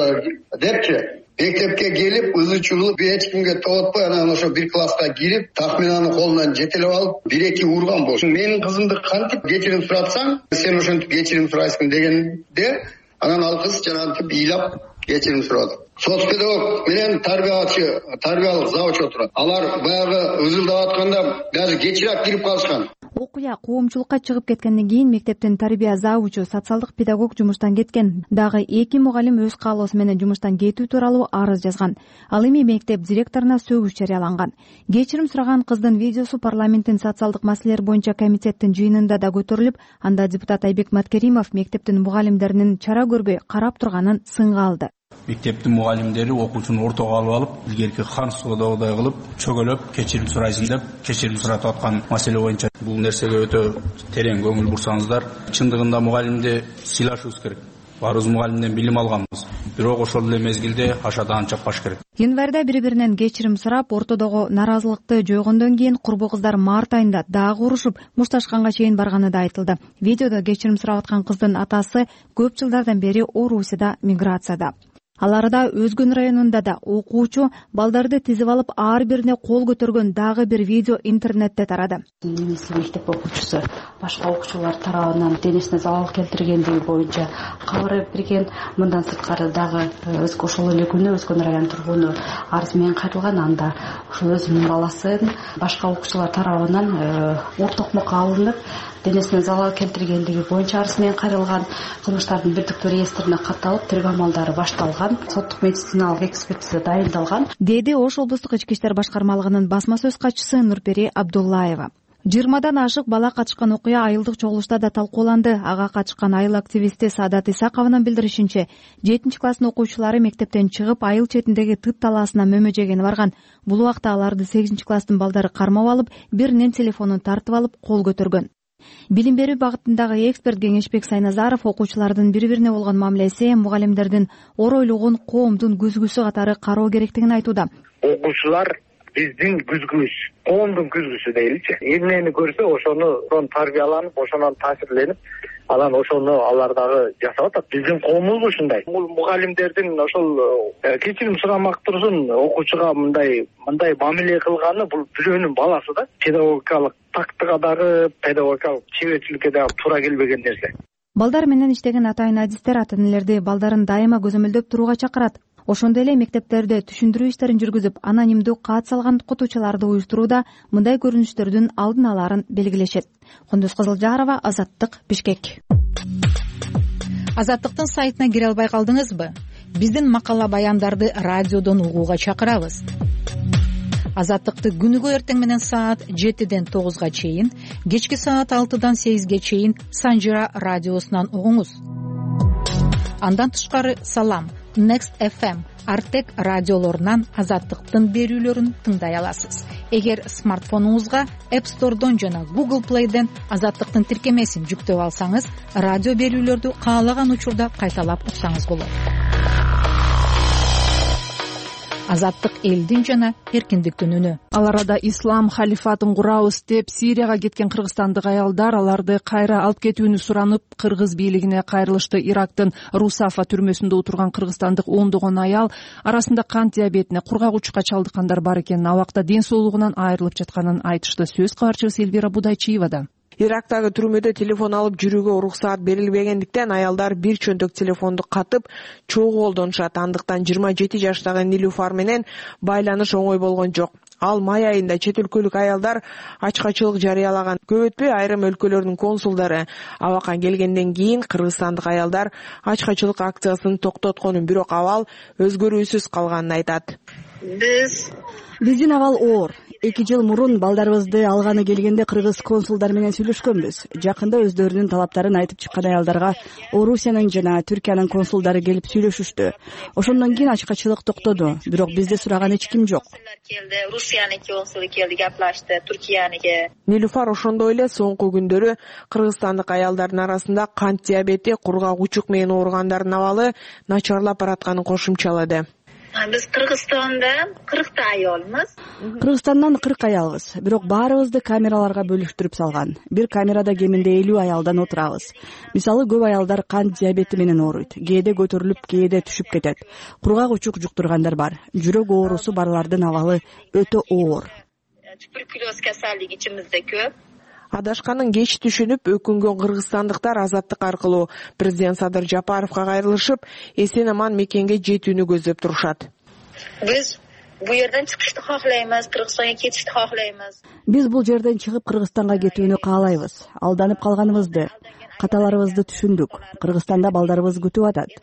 депчи. Мектепке келип, ызы чуулуп, эч кимге тоотпой, анан ошо бир класска кирип, Тахминанын колунан жетелеп алып, бир-эки урган болчу. Менин кызымды кантип кечирим сурапсаң, сен ошентип кечирим сурайсың дегенде, анан ал кыз жанагынтип ыйлап кечирим сурады. Соц педагог менен тарбиячы, тарбиялык завуч отурат. Алар баягы ызылдап атканда даже кечирээк кирип калышкан. Окуя коомчулукка чыгып кеткенден кийин мектептин тарбия завучу, социалдык педагог жумуштан кеткен. Дагы эки мугалим өз каалоосу менен жумуштан кетүү тууралуу арыз жазган. Ал эми мектеп директоруна сөгүш жарыяланган. Кечирим сураган кыздын видеосу парламенттин социалдык маселелер боюнча комитеттин жыйынында да көтөрүлүп, анда депутат Айбек Маткеримов мектептин мугалимдеринин чара көрбөй карап турганын сынга алды. Мектептин мугалимдери окуучуну ортого алып алып, илгерки хан соодогудай кылып, чөгөлөп, кечирим сурайсың деп, кечирим сурап аткан маселе боюнча бул нерсеге өтө терең көңүл бурсаңыздар. Чындыгында мугалимди сыйлашыбыз керек. Баарыбыз мугалимден билим алганбыз. Бирок ошол эле мезгилде ашадан чаппаш керек. Январда бири-биринен кечирим сурап, ортодогу нааразылыкты жойгондон кийин курбу кыздар март айында дагы урушуп, мушташканга чейин барганы да айтылды. Видеодо кечирим сурап аткан кыздын атасы көп жылдардан бери Орусияда миграцияда. Ал арада Өзгөн районунда да окуучу балдарды тизип алып, ар бирине кол көтөргөн дагы бир видео интернетте тарады. Немисли мектеп окуучусу башка окуучулар тарабынан денесине залал келтиргендиги боюнча кабар берген. Мындан сырткары дагы ошол эле күнү Өзгөн районунун тургуну арыз менен кайрылган. Анда ошол өзүнүн баласын башка окуучулар тарабынан ур токмокко алынып, денесине залал келтиргендиги боюнча арыз менен кайрылган. Кылмыштардын бирдиктүү реестрине катталып, тергөө амалдары башталган. Соттук медициналык экспертиза дайындалган, деди Ош облустук ички иштер башкармалыгынын басма сөз катчысы Нурпери Абдуллаева. жыйырмадан ашык бала катышкан окуя айылдык чогулушта да талкууланды. Ага катышкан айыл активисти Саадат Исакованын билдиришинче, жетинчи класстын окуучулары мектептен чыгып айыл четиндеги Тыт талаасына мөмө жегени барган. Бул убакта аларды сегизинчи класстын балдары кармап алып, биринин телефонун тартып алып, кол көтөргөн. Билим берүү багытындагы эксперт Кеңешбек Сайназаров окуучулардын бири-бирине болгон мамилеси мугалимдердин оройлугун, коомдун күзгүсү катары кароо керектигин айтууда. Окуучулар биздин күзгүбүз, коомдун күзгүсү дейли-чи. Эмнени көрсө ошону тарбияланып, ошонон таасирленип, анан ошону алар дагы жасап атат. Биздин коомубуз ушундай. Бул мугалимдердин ошол кечирим сурамак турсун, окуучуга мындай мындай мамиле кылганы бул бирөөнүн баласы да. Педагогикалык тактыга дагы, педагогикалык чеберчиликке дагы туура келбеген нерсе. Балдар менен иштеген атайын адистер ата-энелерди балдарын дайыма көзөмөлдөп турууга чакырат. Ошондой эле мектептерде түшүндүрүү иштерин жүргүзүп, анонимдүү кат салган окутуучуларды уюштурууда мындай көрүнүштөрдүн алдын алаарын белгилешет. Кундуз Кызылжарова, Азаттык, Бишкек. Азаттыктын сайтына кире албай калдыңызбы? Биздин макала баяндарды радиодон угууга чакырабыз. Азаттыкты күнүгө эртең менен саат жетиден тогузга чейин, кечки саат алтыдан сегизге чейин Санжира радиосунан угуңуз. Андан тышкары Салам, Next эф эм, Артек радиолорунан Азаттыктын берүүлөрүн тыңдай аласыз. Эгер смартфонуңузга App Store'дон жана Google Play'ден Азаттыктын тиркемесин жүктөп алсаңыз, радио берүүлөрдү каалаган учурда кайталап уксаңыз болот. Азаттык элдин жана эркиндиктин үнү. Ал арада ислам халифатын курабыз деп Сирияга кеткен кыргызстандык аялдар аларды кайра алып кетүүнү суранып, кыргыз бийлигине кайрылышты. Ирактын Русафа түрмөсүндө отурган кыргызстандык ондогон аял арасында кант диабетине, кургак-учукка чалдыккандар бар экенин, абакта ден соолугунан айрылып жатканын айтышты. Сөз кабарчыбыз Элвира Будайчиевада. Ирактагы түрмөдө телефон алып жүрүүгө уруксаат берилбегендиктен аялдар бир чөнтөк телефонду катып чогуу колдонушат. Андыктан жыйырма жети жаштагы Нилуфар менен байланыш оңой болгон жок. Ал май айында чет өлкөлүк аялдар ачкачылык жарыялаган. Көп өтпөй айрым өлкөлөрдүн консулдары абакка келгенден кийин кыргызстандык аялдар ачкачылык акциясын токтотконун, бирок абал өзгөрүүсүз калганын айтат. Биз Биздин абал оор. Эки жыл мурун балдарыбызды алганы келгенде кыргыз консулдар менен сүйлөшкөнбүз. Жакында өздөрүнүн талаптарын айтып чыккан аялдарга Орусиянын жана Түркиянын консулдары келип сүйлөшүштү. Ошондон кийин ачкачылык токтоду, бирок бизди сураган эч ким жок. Русияныкы консулу келди, гаплашты, Түркияныкы. Нилуфар ошондой эле соңку күндөрү кыргызстандык аялдардын арасында кант диабети, кургак-учук менен ооругандардын абалы начарлап баратканын кошумчалады. Биз Кыргызстанда кыркта аялмыз. Кыргызстандан кырк аялбыз, бирок баарыбызды камераларга бөлүштүрүп салган. Бир камерада кеминде элүү аялдан отурабыз. Мисалы, көп аялдар кант диабети менен ооруйт. Кээде көтөрүлүп, кээде түшүп кетет. Кургак-учук жуктургандар бар. Жүрөк оорусу барлардын абалы өтө оор. Туберкулез касалдыгы ичимизде көп. Адашканын кеч түшүнүп, өкүнгөн кыргызстандыктар Азаттык аркылуу президент Садыр Жапаровго кайрылышып, эсен-аман мекенге жетүүнү көздөп турушат. Биз бу жерден чыгышты каалайбыз, Кыргызстанга кетишти каалайбыз. Биз бул жерден чыгып Кыргызстанга кетүүнү каалайбыз. Алданып калганыбызды, каталарыбызды түшүндүк. Кыргызстанда балдарыбыз күтүп атат.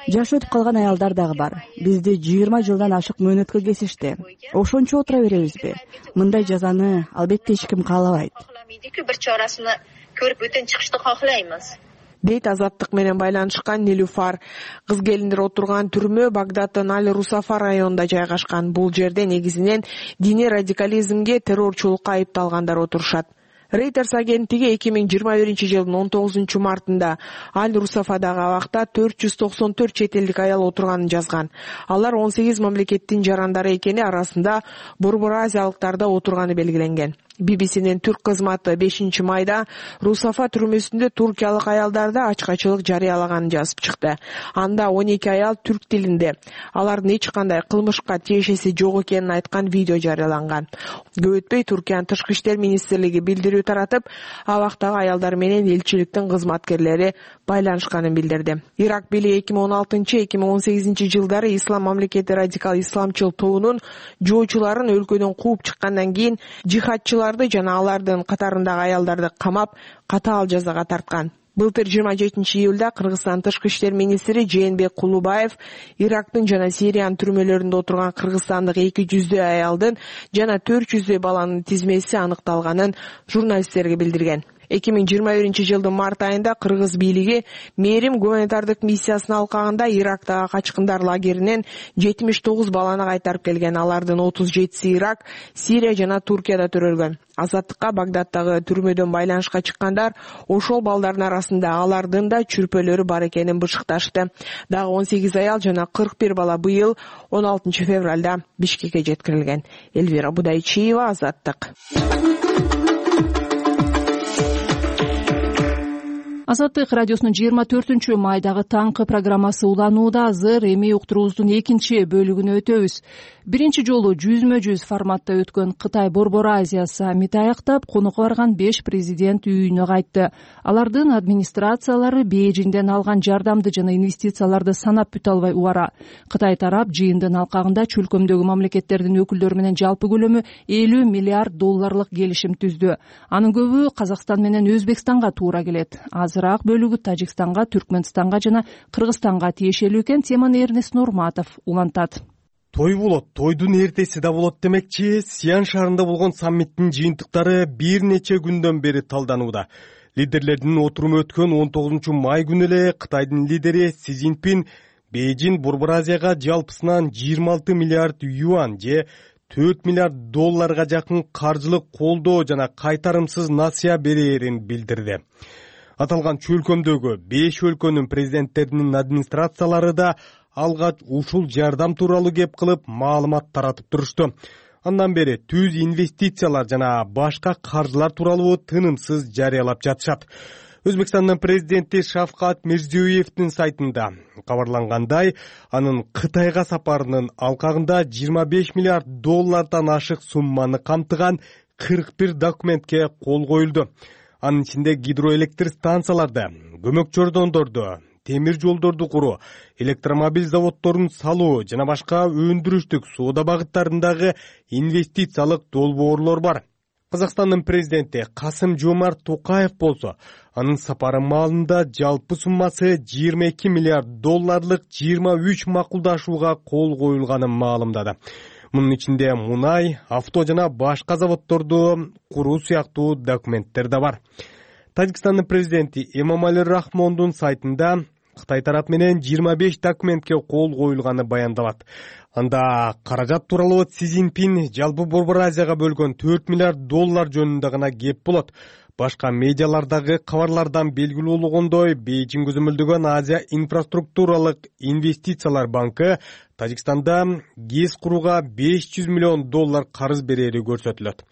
Жашы өтүп калган аялдар дагы бар. Бизди жыйырма жылдан ашык мөөнөткө кесишти. Ошончо отура беребизби? Мындай жазаны албетте эч ким каалабайт. Бир чарасына көрүп өтөн чыгышты каалайбыз. Дейт Азаттык менен байланышкан Нилуфар. Кыз келиндер отурган түрмө Багдаддын Аль-Русафа районунда жайгашкан. Бул жерде негизинен диний радикализмге, террорчулукка айыпталгандар отурушат. Reuters агенттиги эки миң жыйырма биринчи жылдын он тогузунчу мартында Аль-Русафадагы абакта төрт жүз токсон төрт чет элдик аял отурганын жазган. Алар он сегиз мамлекеттин жарандары экени, арасында Борбор Азиялыктар да отурганы белгиленген. би би синин түрк кызматы бешинчи майда Русафа түрмөсүндө туркиялык аялдарды ачкачылык жарыялаганын жазып чыкты. Анда он эки аял түрк тилинде, алардын эч кандай кылмышка тиешеси жок экенин айткан видео жарыяланган. Көп өтпөй Туркиянын тышкы иштер министрлиги билдирүү таратып, абактагы аялдар менен элчиликтин кызматкерлери байланышканын билдирди. Ирак бийлиги эки миң он алтынчы эки миң он сегизинчи жылдары Ислам мамлекети радикал исламчыл тобунун жоочуларын өлкөдөн кууп чыккандан кийин жихадчыларды жана алардын катарындагы аялдарды камап, катаал жазага тарткан. Былтыр жыйырма жетинчи июлда Кыргызстан тышкы иштер министри Жээнбек Кулубаев Ирактын жана Сириянын түрмөлөрүндө отурган кыргызстандык эки жүздөй аялдын жана төрт жүздөй баланын тизмеси аныкталганын журналисттерге билдирген. эки миң жыйырма биринчи жылдын март айында кыргыз бийлиги Мээрим гуманитардык миссиясынын алкагында Ирактагы качкындар лагеринен жетимиш тогуз баланы кайтарып келген. Алардын отуз жетиси Ирак, Сирия жана Туркияда төрөлгөн. Азаттыкка Багдадтагы түрмөдөн байланышка чыккандар ошол балдардын арасында алардын да чүрпөлөрү бар экенин бышыкташты. Дагы он сегиз аял жана кырк бир бала быйыл он алтынчы февралда Бишкекке жеткирилген. Элвира Будайчиева, Азаттык. Азаттык радиосунун жыйырма төртүнчү майдагы таңкы программасы уланууда. Азыр эми уктуруубуздун экинчи бөлүгүнө өтөбүз. Биринчи жолу жүзмө жүз форматта өткөн Кытай Борбор Азия саммити аяктап, конокко барган беш президент үйүнө кайтты. Алардын администрациялары Бейжиңден алган жардамды жана инвестицияларды санап бүтө албай убара. Кытай тарап жыйындын алкагында чөлкөмдөгү мамлекеттердин өкүлдөрү менен жалпы көлөмү элүү миллиард долларлык келишим түздү. Анын көбү Казакстан менен Өзбекстанга туура келет. Азыраак бөлүгү Тажикстанга, Түркмөнстанга жана Кыргызстанга тиешелүү экен. Теманы Эрнест Нурматов улантат. Той болот, тойдун эртеси да болот демекчи. Сиан шаарында болгон саммиттин жыйынтыктары бир нече күндөн бери талданууда. Лидерлердин отуруму өткөн он тогузунчу май күнү эле Кытайдын лидери Си Цзиньпин Бейжиң Борбор Азияга жалпысынан жыйырма алты миллиард юань же төрт миллиард долларга жакын каржылык колдоо жана кайтарымсыз насыя берээрин билдирди. Аталган чөлкөмдөгү беш өлкөнүн президенттеринин администрациялары да алгач ушул жардам тууралуу кеп кылып маалымат таратып турушту. Андан бери түз инвестициялар жана башка каржылар тууралуу тынымсыз жарыялап жатышат. Өзбекстандын президенти Шавкат Мирзиёевдин сайтында кабарлангандай, анын Кытайга сапарынын алкагында жыйырма беш миллиард доллардан ашык сумманы камтыган кырк бир документке кол коюлду. Анын ичинде гидроэлектр станцияларды, көмөк чордондорду, темир жолдорду куруу, электромобиль заводдорун салуу жана башка өндүрүштүк соода багыттарындагы инвестициялык долбоорлор бар. Казакстандын президенти Касым Жомарт Токаев болсо, анын сапары маалында жалпы суммасы жыйырма эки миллиард долларлык жыйырма үч макулдашууга кол коюлганын маалымдады. Мунун ичинде мунай, авто жана башка заводдорду куруу сыяктуу документтер да бар. Тажикстандын президенти Эмомали Рахмондун сайтында Кытай тарап менен жыйырма беш документке кол коюлганы баяндалат. Анда каражат тууралуу Си Цзиньпин жалпы Борбор Азияга бөлгөн төрт миллиард доллар жөнүндө гана кеп болот. Башка медиалардагы кабарлардан белгилүү болгондой, Бейжиң көзөмөлдөгөн Азия инфраструктуралык инвестициялар банкы Тажикстанда ГЭС курууга беш жүз миллион доллар карыз берери көрсөтүлөт.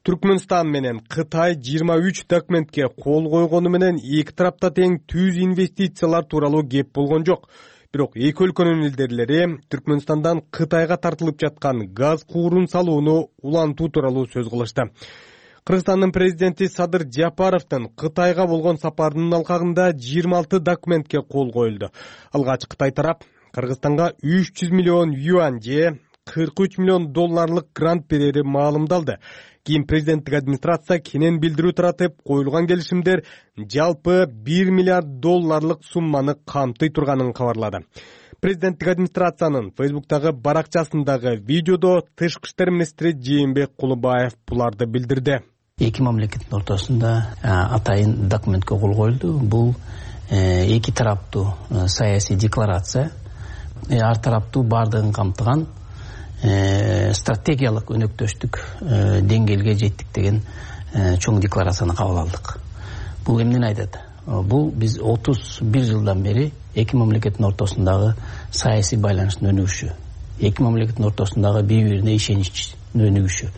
Түркмөнстан менен Кытай жыйырма үч документке кол койгону менен эки тарапта тең түз инвестициялар тууралуу кеп болгон жок. Бирок эки өлкөнүн лидерлери Түркмөнстандан Кытайга тартылып жаткан газ куурун салууну улантуу тууралуу сөз кылышты. Кыргызстандын президенти Садыр Жапаровдун Кытайга болгон сапарынын алкагында жыйырма алты документке кол коюлду. Алгач Кытай тарап Кыргызстанга үч жүз миллион юань же кырк үч миллион долларлык грант берери маалымдалды. Кийин президенттик администрация кенен билдирүү таратып, коюлган келишимдер жалпы бир миллиард долларлык сумманы камтый турганын кабарлады. Президенттик администрациянын Фейсбуктагы баракчасындагы видеодо тышкы иштер министри Жээнбек Кулубаев буларды билдирди. Эки мамлекеттин ортосунда атайын документке кол коюлду. Бул эки тараптуу саясий декларация, ар тараптуу бардыгын камтыган стратегиялык өнөктөштүк деңгээлге жеттик деген чоң декларацияны кабыл алдык. Бул эмнени айтат? Бул биз отуз бир жылдан бери эки мамлекеттин ортосундагы саясий байланыштын өнүгүшү, эки мамлекеттин ортосундагы бири-бирине ишеничтин өнүгүшү.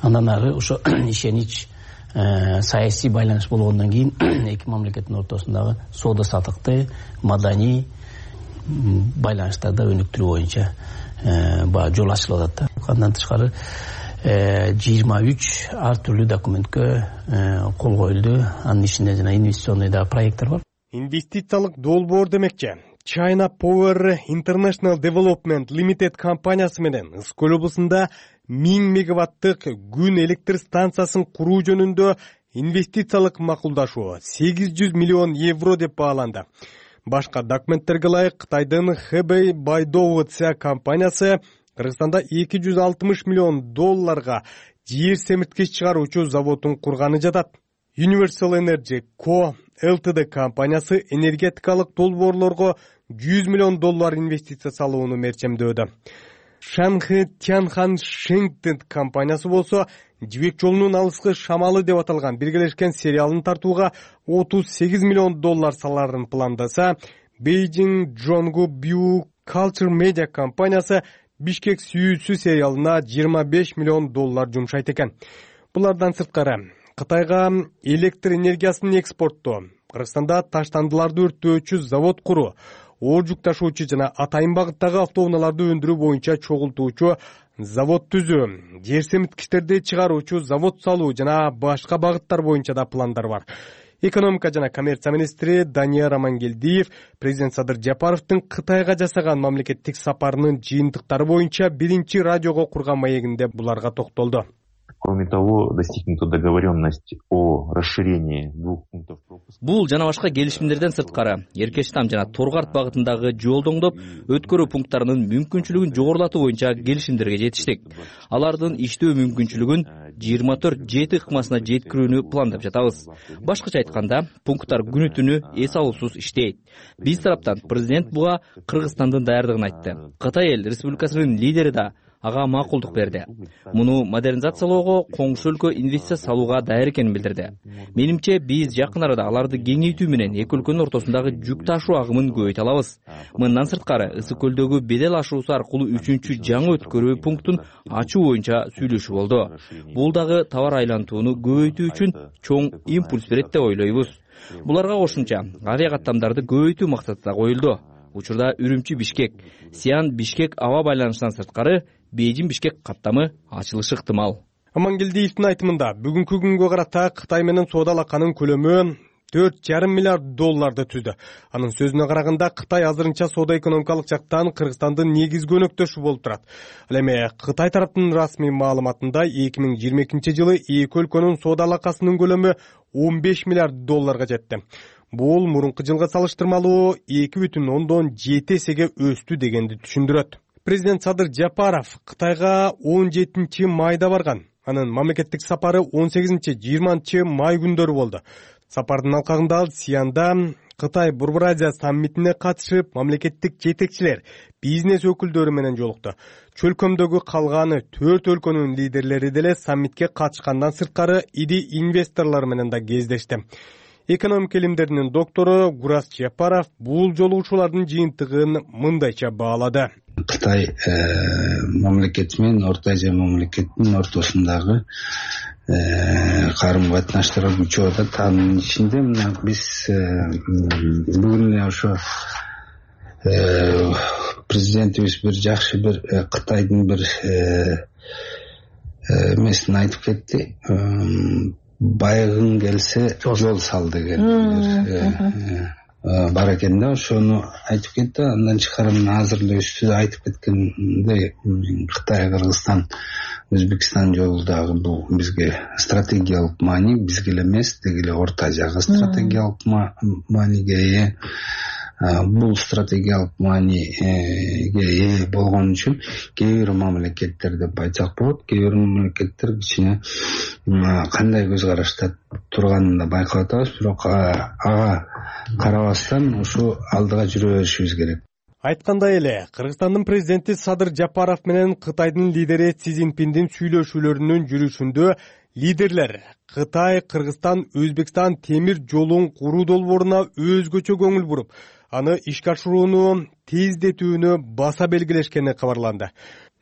Андан ары ошо ишенич саясий байланыш болгондон кийин эки мамлекеттин ортосундагы соода саттыкты, маданий байланыштарды өнүктүрүү боюнча баа жол ачылып атат да. Андан тышкары жыйырма үч ар түрлүү документке кол коюлду. Анын ичинде жана инвестиционный да проекттер бар. Инвестициялык долбоор демекчи. China Power International Development Limited компаниясы менен Ысык көл облусунда миң мегаваттык күн электр станциясын куруу жөнүндө инвестициялык макулдашуу сегиз жүз миллион евро деп бааланды. Башка документтерге ылайык Кытайдын Хэбэй Байдоуця компаниясы Кыргызстанда эки жүз алтымыш миллион долларга жер семирткич чыгаруучу заводун курганы жатат. Universal Energy Co. Ltd компаниясы энергетикалык долбоорлорго жүз миллион доллар инвестиция салууну мерчемдөөдө. Шанхэ Тянхан Шэньтэн компаниясы болсо жибек жолунун алыскы шамалы деп аталган биргелешкен сериалын тартууга отуз сегиз миллион доллар саларын пландаса, Beijing Jonggu Biu Culture Media компаниясы Бишкек сүйүүсү сериалына жыйырма беш миллион доллар жумшайт экен. Булардан сырткары Кытайга электр энергиясын экспорттоо, Кыргызстанда таштандыларды өрттөөчү завод куруу, оор жүк ташуучу жана атайын багыттагы автоунааларды өндүрүү боюнча чогултуучу завод түзүү, жер семирткичтерди чыгаруучу завод салуу жана башка багыттар боюнча да пландар бар. Экономика жана коммерция министри Данияр Амангелдиев президент Садыр Жапаровдун Кытайга жасаган мамлекеттик сапарынын жыйынтыктары боюнча биринчи радиого курган маегинде буларга токтолду. Кроме того, достигнута договоренность о расширении двух пунктов пропуска. Бул жана башка келишимдерден сырткары Эркештам жана Торгарт багытындагы жолдоңдоп өткөрүү пункттарынын мүмкүнчүлүгүн жогорулатуу боюнча келишимдерге жетиштик. Алардын иштөө мүмкүнчүлүгүн жыйырма төрт жети ыкмасына жеткирүүнү пландап жатабыз. Башкача айтканда, пункттар күнү түнү эс алуусуз иштейт. Биз тараптан президент буга Кыргызстандын даярдыгын айтты. Кытай эл республикасынын лидери да ага макулдук берди. Муну модернизациялоого, коңшу өлкө инвестиция салууга даяр экенин билдирди. Менимче, биз жакын арада аларды кеңейтүү менен эки өлкөнүн ортосундагы жүк ташуу агымын көбөйтө алабыз. Мындан сырткары, Ысык көлдөгү бедел ашуусу аркылуу үчүнчү жаңы өткөрүү пунктун ачуу боюнча сүйлөшүү болду. Бул дагы товар айлантууну көбөйтүү үчүн чоң импульс берет деп ойлойбуз. Буларга кошумча авиа каттамдарды көбөйтүү максаты да коюлду. Учурда Үрүмчү-Бишкек, Сиан-Бишкек аба байланышынан сырткары Бейжин-Бишкек каттамы ачылышы ыктымал. Амангелдиевдин айтымында бүгүнкү күнгө карата Кытай менен соода алаканын көлөмү төрт жарым миллиард долларды түздү. Анын сөзүнө караганда, Кытай азырынча соода экономикалык жактан Кыргызстандын негизги өнөктөшү болуп турат. Ал эми Кытай тараптын расмий маалыматында эки миң жыйырма экинчи жылы эки өлкөнүн соода алакасынын көлөмү он беш миллиард долларга жетти. Бул мурунку жылга салыштырмалуу эки бүтүн ондон жети эсеге өстү дегенди түшүндүрөт. Президент Садыр Жапаров Кытайга он жетинчи майда барган. Анын мамлекеттик сапары он сегизинчи жыйырманчы май күндөрү болду. Сапардын алкагында ал Сианда Кытай Борбор Азия саммитине катышып, мамлекеттик жетекчилер, бизнес өкүлдөрү менен жолукту. Чөлкөмдөгү калганы төрт өлкөнүн лидерлери деле саммитке катышкандан сырткары ири инвесторлор менен да кездешти. Экономика илимдеринин доктору Гурас Жапаров бул жолугушуулардын жыйынтыгын мындайча баалады. Кытай мамлекети менен Орто Азия мамлекетинин ортосундагы карым катнаштар күчөп атат. Анын ичинде мына биз бүгүн эле ошо президентибиз бир жакшы бир Кытайдын бир эмесин айтып кетти. Байгың келсе жол сал деген бар экен да, ошону айтып кетти. Андан тышкары азыр эле үстүдө айтып кеткендей, Кытай, Кыргызстан, Өзбекстан жолу дагы бул бизге стратегиялык маани, бизге эле эмес, деги эле Орто Азияга стратегиялык мааниге ээ. Бул стратегиялык мааниге ээ болгон үчүн кээ бир мамлекеттер деп айтсак болот, кээ бир мамлекеттер кичине кандай көз карашта турганын да байкап атабыз, бирок ага карабастан ушу алдыга жүрө беришибиз керек. Айткандай эле, Кыргызстандын президенти Садыр Жапаров менен Кытайдын лидери Си Цзиньпиндин сүйлөшүүлөрүнүн жүрүшүндө лидерлер Кытай, Кыргызстан, Өзбекстан темир жолун куруу долбооруна өзгөчө көңүл буруп, аны ишке ашырууну тездетүүнү баса белгилешкени кабарланды.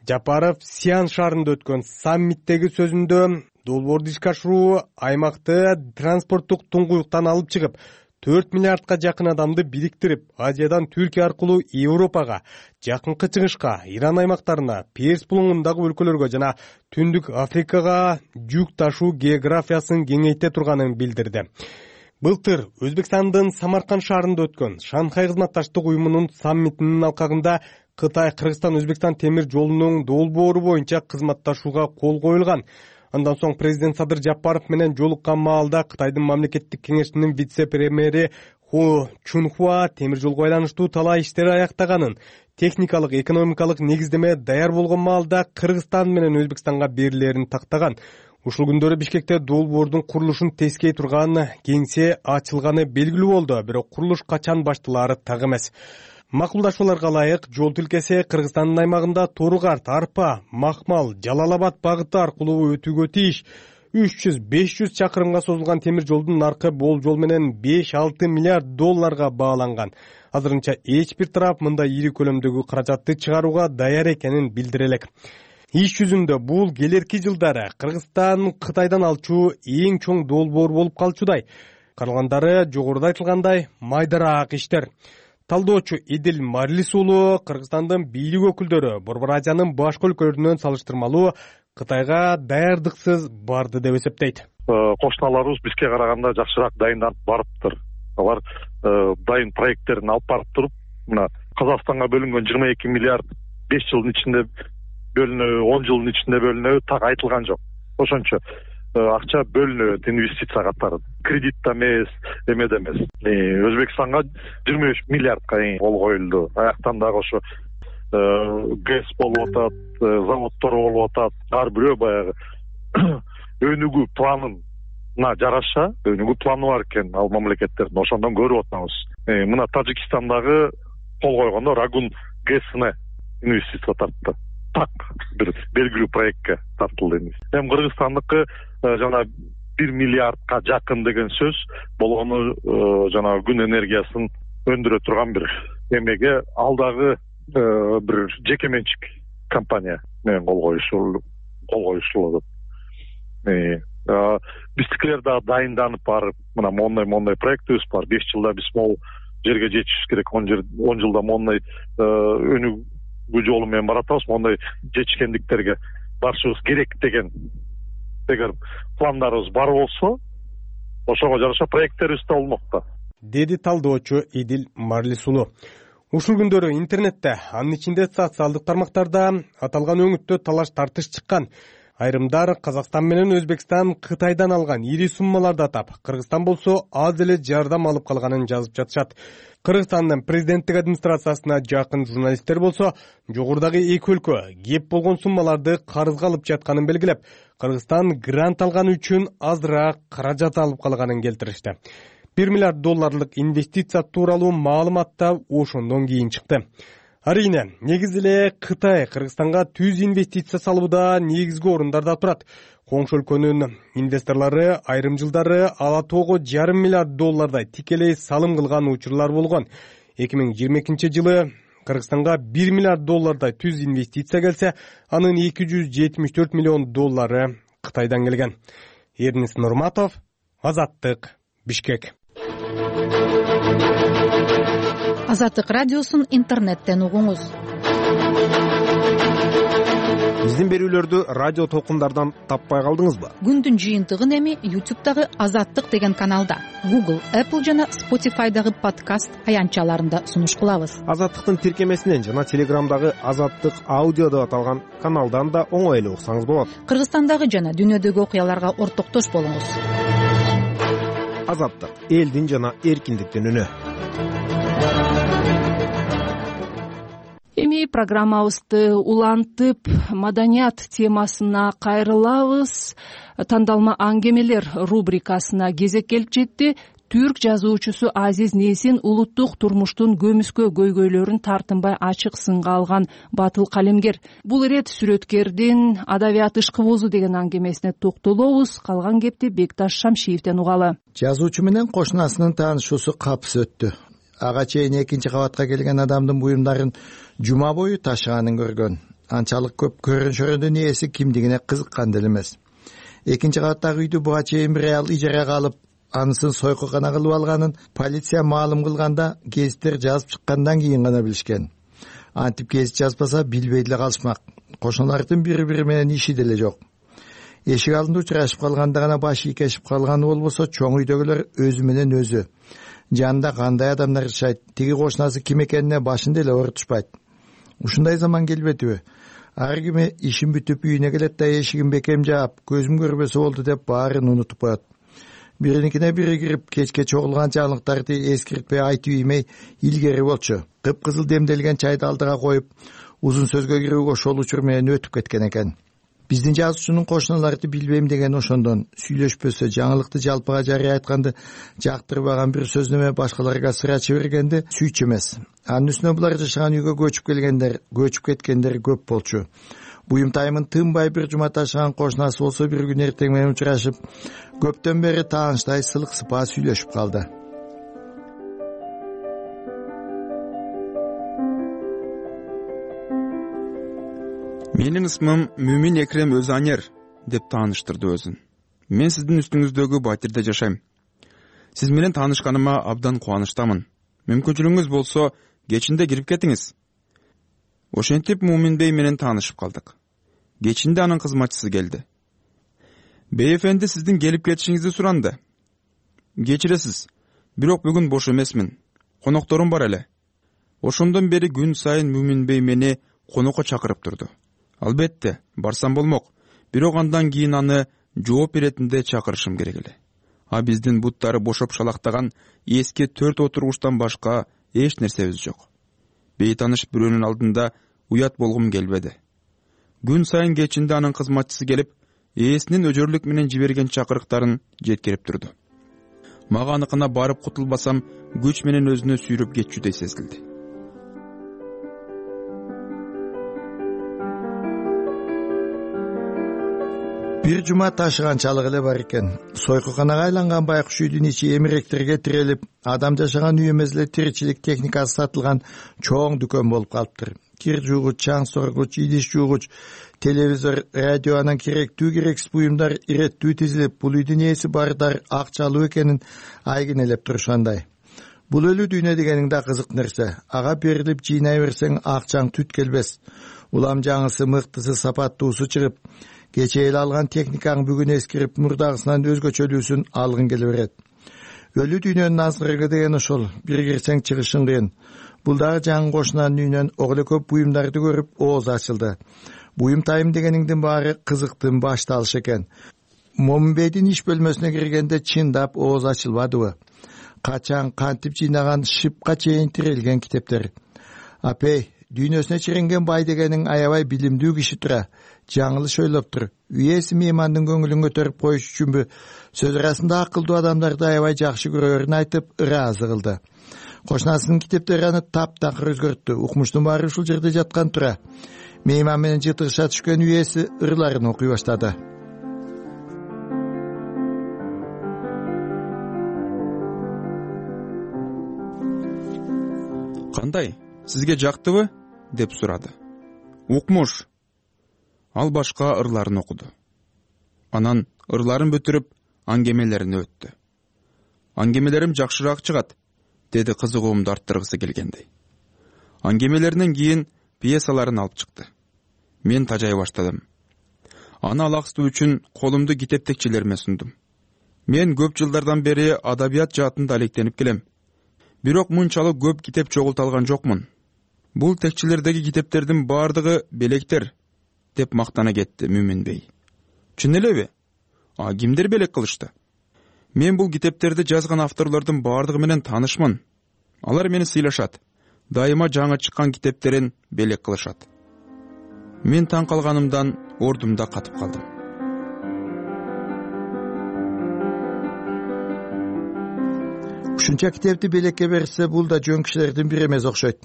Жапаров Сиан шаарында өткөн саммиттеги сөзүндө долбоорду ишке ашыруу аймакты транспорттук туңгуюктан алып чыгып, төрт миллиардка жакын адамды бириктирип, Азиядан Түркия аркылуу Европага, Жакынкы Чыгышка, Иран аймактарына, Перс булуңундагы өлкөлөргө жана Түндүк Африкага жүк ташуу географиясын кеңейте турганын билдирди. Былтыр Өзбекстандын Самарканд шаарында өткөн Шанхай кызматташтык уюмунун саммитинин алкагында Кытай, Кыргызстан, Өзбекстан темир жолунун долбоору боюнча кызматташууга кол коюлган. Андан соң президент Садыр Жапаров менен жолуккан маалда Кытайдын мамлекеттик кеңешинин вице-премьери Ху Чунхуа темир жолго байланыштуу талаа иштери аяктаганын, техникалык, экономикалык негиздеме даяр болгон маалда Кыргызстан менен Өзбекстанга берилерин тактаган. Ушул күндөрү Бишкекте долбоордун курулушун тескей турган кеңсе ачылганы белгилүү болду, бирок курулуш качан башталаары так эмес. Макулдашууларга ылайык жол тилкеси Кыргызстандын аймагында Торгарт, Арпа, Макмал, Жалал-Абад багыты аркылуу өтүүгө тийиш. үч жүз беш жүз чакырымга созулган темир жолдун наркы болжол менен беш алты миллиард долларга бааланган. Азырынча эч бир тарап мындай ири көлөмдөгү каражатты чыгарууга даяр экенин билдире элек. Иш жүзүндө бул келерки жылдары Кыргызстан Кытайдан алчу эң чоң долбоор болуп калчудай. Калгандары жогоруда айтылгандай майдараак иштер. Талдоочу Идил Марлис уулу Кыргызстандын бийлик өкүлдөрү Борбор Азиянын башка өлкөлөрүнөн салыштырмалуу Кытайга даярдыксыз барды деп эсептейт. Кошуналарыбыз бизге караганда жакшыраак дайынданып барыптыр. Алар дайын проекттерин алып барып туруп, мына Казакстанга бөлүнгөн жыйырма эки миллиард беш жылдын ичинде бөлүнөбү, он жылдын ичинде бөлүнөбү так айтылган жок. Ошончо акча бөлүнөт, инвестиция катары. Кредит да эмес, эме да эмес. Өзбекстанга жыйырма үч миллиардка кол коюлду. Аяктан дагы ошо ГЭС болуп атат, заводдор болуп атат. Ар бирөө баягы өнүгүү планына жараша, өнүгүү планы бар экен ал мамлекеттердин. Ошондон көрүп атабыз. Мына Тажикстандагы кол койгондо Рагун ГЭСине инвестиция тартты. Так бир белгилүү проектке тартылды. Эми Кыргызстандыкы жана бир миллиардка жакын деген сөз болгону жана күн энергиясын өндүрө турган бир эмеге алдагы бир жеке менчик компания менен кол коюшу кол коюшулат. Биздикилер да дайынданып барып, мына мондай мондай проектибиз бар. беш жылда биз могу жерге жетишибиз керек. он жылда мондай өнүгүү жолу менен баратабыз. Мондай жетишкендиктерге барышыбыз керек деген эгер пландарыбыз бар болсо, ошого жараша проекттерибиз да болмокта, деди талдоочу Идил Марлис уулу. Ушул күндөрү интернетте, анын ичинде социалдык тармактарда аталган өңүттө талаш тартыш чыккан. Айрымдар Казакстан менен Өзбекстан Кытайдан алган ири суммаларды атап, Кыргызстан болсо аз эле жардам алып калганын жазып жатышат. Кыргызстандын президенттик администрациясына жакын журналисттер болсо, жогорудагы эки өлкө кеп болгон суммаларды карызга алып жатканын белгилеп, Кыргызстан грант алган үчүн азыраак каражат алып калганын келтиришти. бир миллиард долларлык инвестиция тууралуу маалымат да ошондон кийин чыкты. Арийне, негизи эле Кытай Кыргызстанга түз инвестиция салууда негизги орундарда турат. Коңшу өлкөнүн инвесторлору айрым жылдары ала тоого жарым миллиард доллардай тикелей салым кылган учурлар болгон. эки миң жыйырма экинчи жылы Кыргызстанга бир миллиард доллардай түз инвестиция келсе, анын эки жүз жетимиш төрт миллион доллары Кытайдан келген. Эрнис Нурматов, Азаттык, Бишкек. Азаттык радиосун интернеттен угуңуз. Биздин берүүлөрдү радио толкундардан таппай калдыңызбы? Күндүн жыйынтыгын эми ютубтагы Азаттык деген каналда, Google, Apple жана Spotify'дагы подкаст аянтчаларында сунуш кылабыз. Азаттыктын тиркемесинен жана Телеграмдагы Азаттык аудио деп аталган каналдан да оңой эле уксаңыз болот. Кыргызстандагы жана дүйнөдөгү окуяларга ортоктош болуңуз. Азаттык, элдин жана эркиндиктин үнү. Эми программабызды улантып, маданият темасына кайрылабыз. Тандалма аңгемелер рубрикасына кезек келип жетти. Түрк жазуучусу Азиз Несин улуттук турмуштун көмүскө көйгөйлөрүн тартынбай ачык сынга алган батыл калемгер. Бул ирет сүрөткердин адабият ышкыбозу деген аңгемесине токтолобуз. Калган кепти Бекташ Шамшиевден угалы. Жазуучу менен кошунасынын таанышуусу капыс өттү. Ага чейин экинчи кабатка келген адамдын буюмдарын жума бою ташыганын көргөн. Анчалык көп көрүнүшөрүнүн ээси кимдигине кызыккан деле эмес. Экинчи кабаттагы үйдү буга чейин бир аял ижарага алып, анысын сойкукана кылып алганын полиция маалым кылганда гезиттер жазып чыккандан кийин гана билишкен. Антип гезит жазбаса билбей деле калышмак. Кошуналардын бири-бири менен иши деле жок. Эшик алдында учурашып калганда гана башы ийкешип калганы болбосо, чоң үйдөгүлөр өзү менен өзү. Жанында кандай адамдар жашайт, тиги кошунасы ким экенине башын деле оорутушпайт. Ушундай заман келбедиби? ар кими ишин бүтүп үйүнө келет да эшигин бекем жаап көзүм көрбөсө болду деп баарын унутуп коет. Бириникине бири кирип кечке чогулган жаңылыктарды эскиртпей айтып иймей илгери болчу. Кыпкызыл демделген чайды алдыга коюп узун сөзгө кирүү ошол учур менен өтүп кеткен экен. Биздин жазуучунун кошуналарды билбейм деген ошондон сүйлөшпөсө, жаңылыкты жалпыга жарыя айтканды жактырбаган бир сөзнөмө башкаларга сырачы бергенди сүйчү эмес. Анын үстүнө булар жашаган үйгө көчүп келгендер, көчүп кеткендер көп болчу. Буюмтайымын тынбай бир жума ташыган кошунасы болсо бир күн эртең менен учурашып, көптөн бери таанычтай сылык сыпаа сүйлөшүп калды. Менин ысмым Мүмин Экрем Өзанер деп тааныштырды өзүн. Мен сиздин үстүңүздөгү батирде жашайм. Сиз менен таанышканыма абдан кубанычтамын. Мүмкүнчүлүгүңүз болсо, кечинде кирип кетиңиз. Ошентип Мумин бей менен таанышып калдык. Кечинде анын кызматчысы келди. Бейэфенди сиздин келип кетишиңизди суранды. Кечиресиз, бирок бүгүн бош эмесмин. Конокторум бар эле. Ошондон бери күн сайын Мумин бей мени конокко чакырып турду. Албетте, барсам болмок. Бирок андан кийин аны жооп беретинде чакырышым керек эле. А биздин буттары бошоп шалактаган эски төрт отургучтан башка эч нерсебиз жок. Бейтаныш бирөөнүн алдында уят болгум келбеди. Күн сайын кечинде анын кызматчысы келип, ээсинин өжөрлүк менен жиберген чакырыктарын жеткирип турду. Мага аныкына барып кутулбасам, күч менен өзүнө сүйрөп кетчүдөй сезилди. Бир жума ташыганчалык эле бар экен. Сойкуканага айланган байкуш үйдүн ичи эмиректерге тирелип, адам жашаган үй эмес эле тиричилик техникасы сатылган чоң дүкөн болуп калыптыр. Кир жуугуч, чаң соргуч, идиш жуугуч, телевизор, радио, анан керектүү керексиз буюмдар иреттүү тизилип, бул үйдүн ээси бардар акчалуу экенин айгинелеп турушкандай. Бул өлүү дүйнө дегениң да кызык нерсе. Ага берилип жыйнай берсең акчаң түт келбес. Улам жаңысы, мыктысы, сапаттуусу чыгып, кече эле алган техникаң бүгүн эскирип, мурдагысынан өзгөчөлүүсүн алгың келе берет. Өлүү дүйнөнүн азгырыгы деген ошол. Бир кирсең чыгышың кыйын. Бул дагы жаңы кошунанын үйүнөн ого эле көп буюмдарды көрүп, ооз ачылды. Буюмтайым дегениңдин баары кызыктын башталышы экен. Момунбейдин иш бөлмөсүнө киргенде чындап ооз ачылбадыбы? Качан, кантип жыйнаган шипка чейин тирелген китептер. Апей, дүйнөсүнө чиренген бай дегениң аябай билимдүү киши тура. Жаңылыш ойлоп тур. Үйеси меймандын көңүлүн көтөрүп коюш үчүнбү? Сөз арасында акылдуу адамдарды аябай жакшы көрөрүн айтып, ыраазы кылды. Кошунасынын китептери аны таптакыр өзгөрттү. Укмуштун баары ушул жерде жаткан тура. Мейман менен жытыгыша түшкөн үйеси ырларын окуй баштады. Кандай? Сизге жактыбы? Деп сурады. Укмуш. Ал башка ырларын окуду. Анан ырларын бүтүрүп, аңгемелерине өттү. Аңгемелерим жакшыраак чыгат, деди кызыгуумду арттыргысы келгендей. Аңгемелеринен кийин пьесаларын алып чыкты. Мен тажай баштадым. Аны алаксытуу үчүн колумду китеп текчелериме сундум. Мен көп жылдардан бери адабият жаатында алектенип келем. Бирок мынчалык көп китеп чогулталган жокмун. Бул текчелердеги китептердин баардыгы белектер, деп мактана кетти Мүмин бей. Чын элеби? А кимдер белек кылышты? Мен бул китептерди жазган авторлордун баардыгы менен таанышмын. Алар мени сыйлашат. Дайыма жаңы чыккан китептерин белек кылышат. Мен таң калганымдан ордумда катып калдым. Ушунча китепти белекке берсе, бул да жөн кишилердин бири эмес окшойт.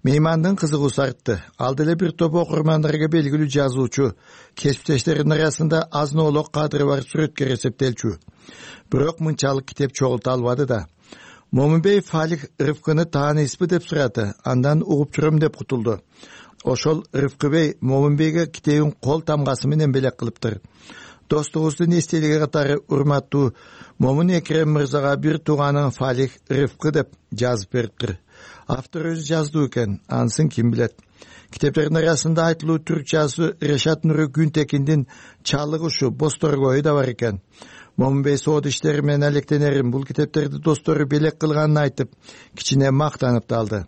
Меймандын кызыгуусу артты. Ал деле бир топ окурмандарга белгилүү жазуучу, кесиптештеринин арасында азноолок кадыры бар сүрөткөр эсептелчү. Бирок мынчалык китеп чогулта албады да. Момунбей Фалих Рыфкыны тааныйсызбы деп сурады. Андан угуп жүрөм деп кутулду. Ошол Рыфкы бей Момунбейге китебин кол тамгасы менен белек кылыптыр. Достугубуздун эстелиги катары урматтуу Момун Экрем мырзага бир тууганың Фалих Рыфкы деп жазып бериптир. Автор өзү жаздуу экен, анысын ким билет. Китептердин арасында айтылуу түрк жазуучу Решат Нуру Күнтекиндин Чалык ушу Босторгою да бар экен. Момунбей соод иштери менен алектенерин, бул китептерди достору белек кылганын айтып, кичине мактанып да алды.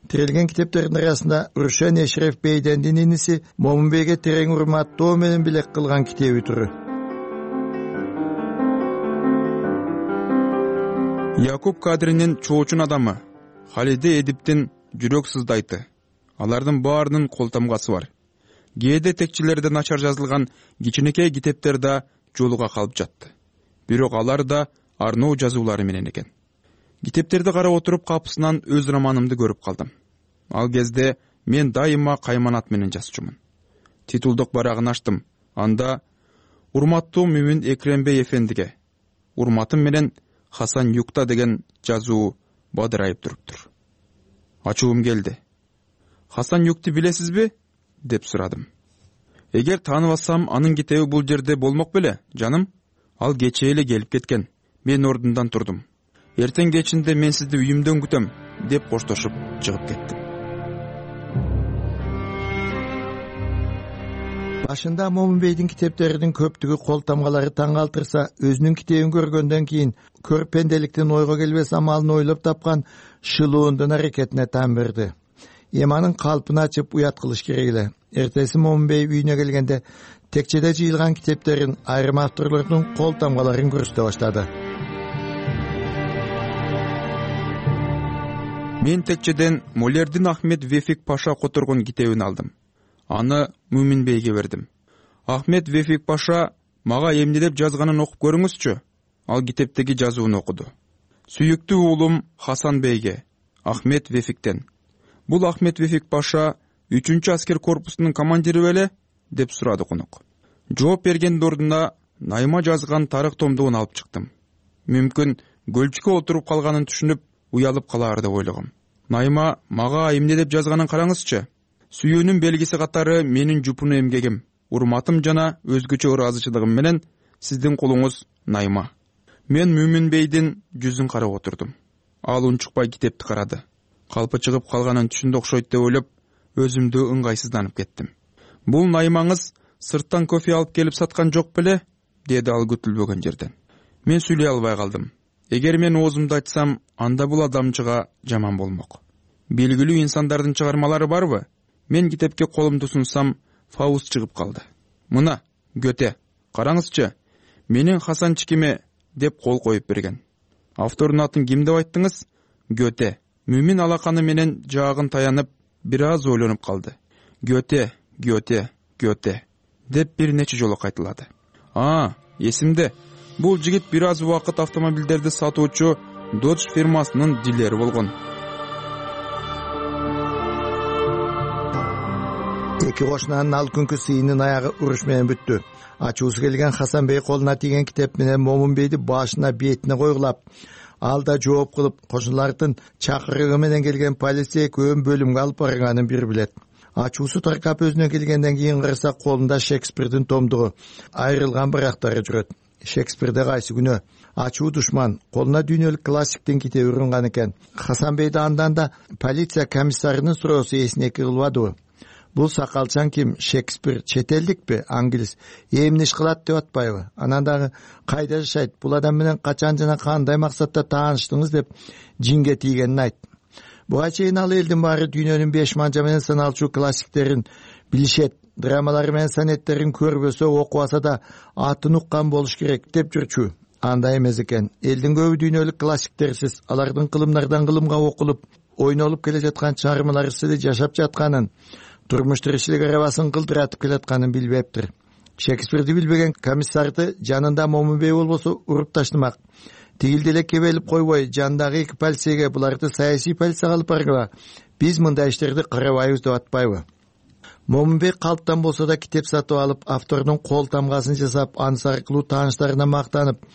Тирелген китептердин арасында Рушен Эшреф бейдендин иниси Момунбейге терең урматтоо менен билек кылган китеби туру. Якуб Кадринин чоочун адамы Халиде Эдиптин жүрөк сыздайты. Алардын баарынын кол тамгасы бар. Кээде текчилерде начар жазылган кичинекей китептер да жолуга калып жатты. Бирок алар да арноо жазуулары менен экен. Китептерди карап отуруп капысынан өз романымды көрүп калдым. Ал кезде мен дайыма кайманат менен жазчумун. Титулдук барагын ачтым. Анда урматтуу Мүмүн Экрембей эфендиге, урматым менен Хасан Юкта деген жазуу бадырайып туруптур. Ачуум келди. Хасан Юкты билесизби? Деп сурадым. Эгер тааныбасам, анын китеби бул жерде болмок беле, жаным? Ал кечээ эле келип кеткен. Мен ордундан турдум. Эртең кечинде мен сизди үйүмдөн күтөм, деп коштошуп чыгып кеттим. Башында Момунбейдин китептеринин көптүгү кол тамгалары таң калтырса, өзүнүн китебин көргөндөн кийин көрпенделиктин ойго келбес амалын ойлоп тапкан шылуундун аракетине таң берди. Эманын калпын ачып уят кылыш керек эле. Эртеси Момунбей үйүнө келгенде текчеде жыйылган китептерин, айрым авторлордун кол тамгаларын көрсөтө баштады. Мен текчеден Молердин Ахмед Вефик Паша которгон китебин алдым. Аны Мүмүнбейге бердим. Ахмед Вефик Паша мага эмнелеп жазганын окуп көрүңүзчү. Ал китептеги жазууну окуду. Сүйүктүү уулум Хасан Бейге, Ахмед Вефиктен. Бул Ахмед Вефик Паша үчүнчү аскер корпусунун командири беле? Деп сурады конок. Жооп бергендин ордуна Найма жазган тарых томдугун алып чыктым. Мүмкүн көлчүккө отуруп калганын түшүнүп, уялып калаар деп ойлогом. Найма мага эмне деп жазганын караңызчы. Сүйүүнүн белгиси катары менин жупуну эмгегим, урматым жана өзгөчө ыраазычылыгым менен сиздин кулуңуз Найма. Мен Мүмүнбейдин жүзүн карап отурдум. Ал унчукпай китепти карады. Калпы чыгып калганын түшүндү окшойт деп ойлоп, өзүмдү ыңгайсызданып кеттим. Бул Наймаңыз сырттан кофе алып келип саткан жок беле? Деди ал күтүлбөгөн жерден. Мен сүйлөй албай калдым. Эгер мен оозумду айтсам, анда бул адамчыга жаман болмок. Белгилүү инсандардын чыгармалары барбы? Мен китепке колумду сунсам, Фауст чыгып калды. Мына, Гёте, караңызчы, менин Хасанчикиме деп кол коюп берген. Автордун атын ким деп айттыңыз? Гёте. Мүмүн алаканы менен жаагын таянып, бир аз ойлонуп калды. Гёте, Гёте, Гёте деп бир нече жолу кайталады. А, эсимде. Бул жигит бир аз убакыт автомобилдерди сатуучу Dodge фирмасынын дилери болгон. Эки кошунанын ал күнкү сыйынын аягы уруш менен бүттү. Ачуусу келген Хасан Бей колуна тийген китеп менен Момунбейди башына бетине койгулап, ал да жооп кылып, кошуналардын чакырыгы менен келген полиция экөөнүн бөлүмгө алып барганын бир билет. Ачуусу таркап өзүнө келгенден кийин караса, колунда Шекспирдин томдугу, айрылган барактары жүрөт. Шекспирде кайсы күнөө? Ачуу душман, колуна дүйнөлүк классиктин китеби урунган экен. Хасан Бейди андан да полиция комиссарынын суроосу эсине кылбадыбы? Бул сакалчан ким? Шекспир чет элдикпи? Англис. Эмне иш кылат деп атпайбы? Анан дагы кайда жашайт? Бул адам менен качан жана кандай максатта тааныштыңыз деп жинге тийгенин айт. Буга чейин ал элдин баары дүйнөнүн беш манжа менен саналчу классиктерин билишет, драмалары менен сонеттерин көрбөсө, окубаса да атын уккан болуш керек деп жүрчү. Андай эмес экен. Элдин көбү дүйнөлүк классиктерсиз, алардын кылымдардан кылымга окулуп, ойнолуп келе жаткан чыгармалар сиде жашап жатканын, турмуш тиричилик арабасын кылдыратып келатканын билбептир. Шекспирди билбеген комиссарды жанында Момунбей болбосо уруп таштымак. Тигилди эле кебелип койбой, жандагы эки полицейге буларды саясий полицияга алып баргыла, биз мындай иштерди карабайбыз деп атпайбы? Момунбей калптан болсо да китеп сатып алып, автордун кол тамгасын жасап, анысы аркылуу тааныштарына мактанып,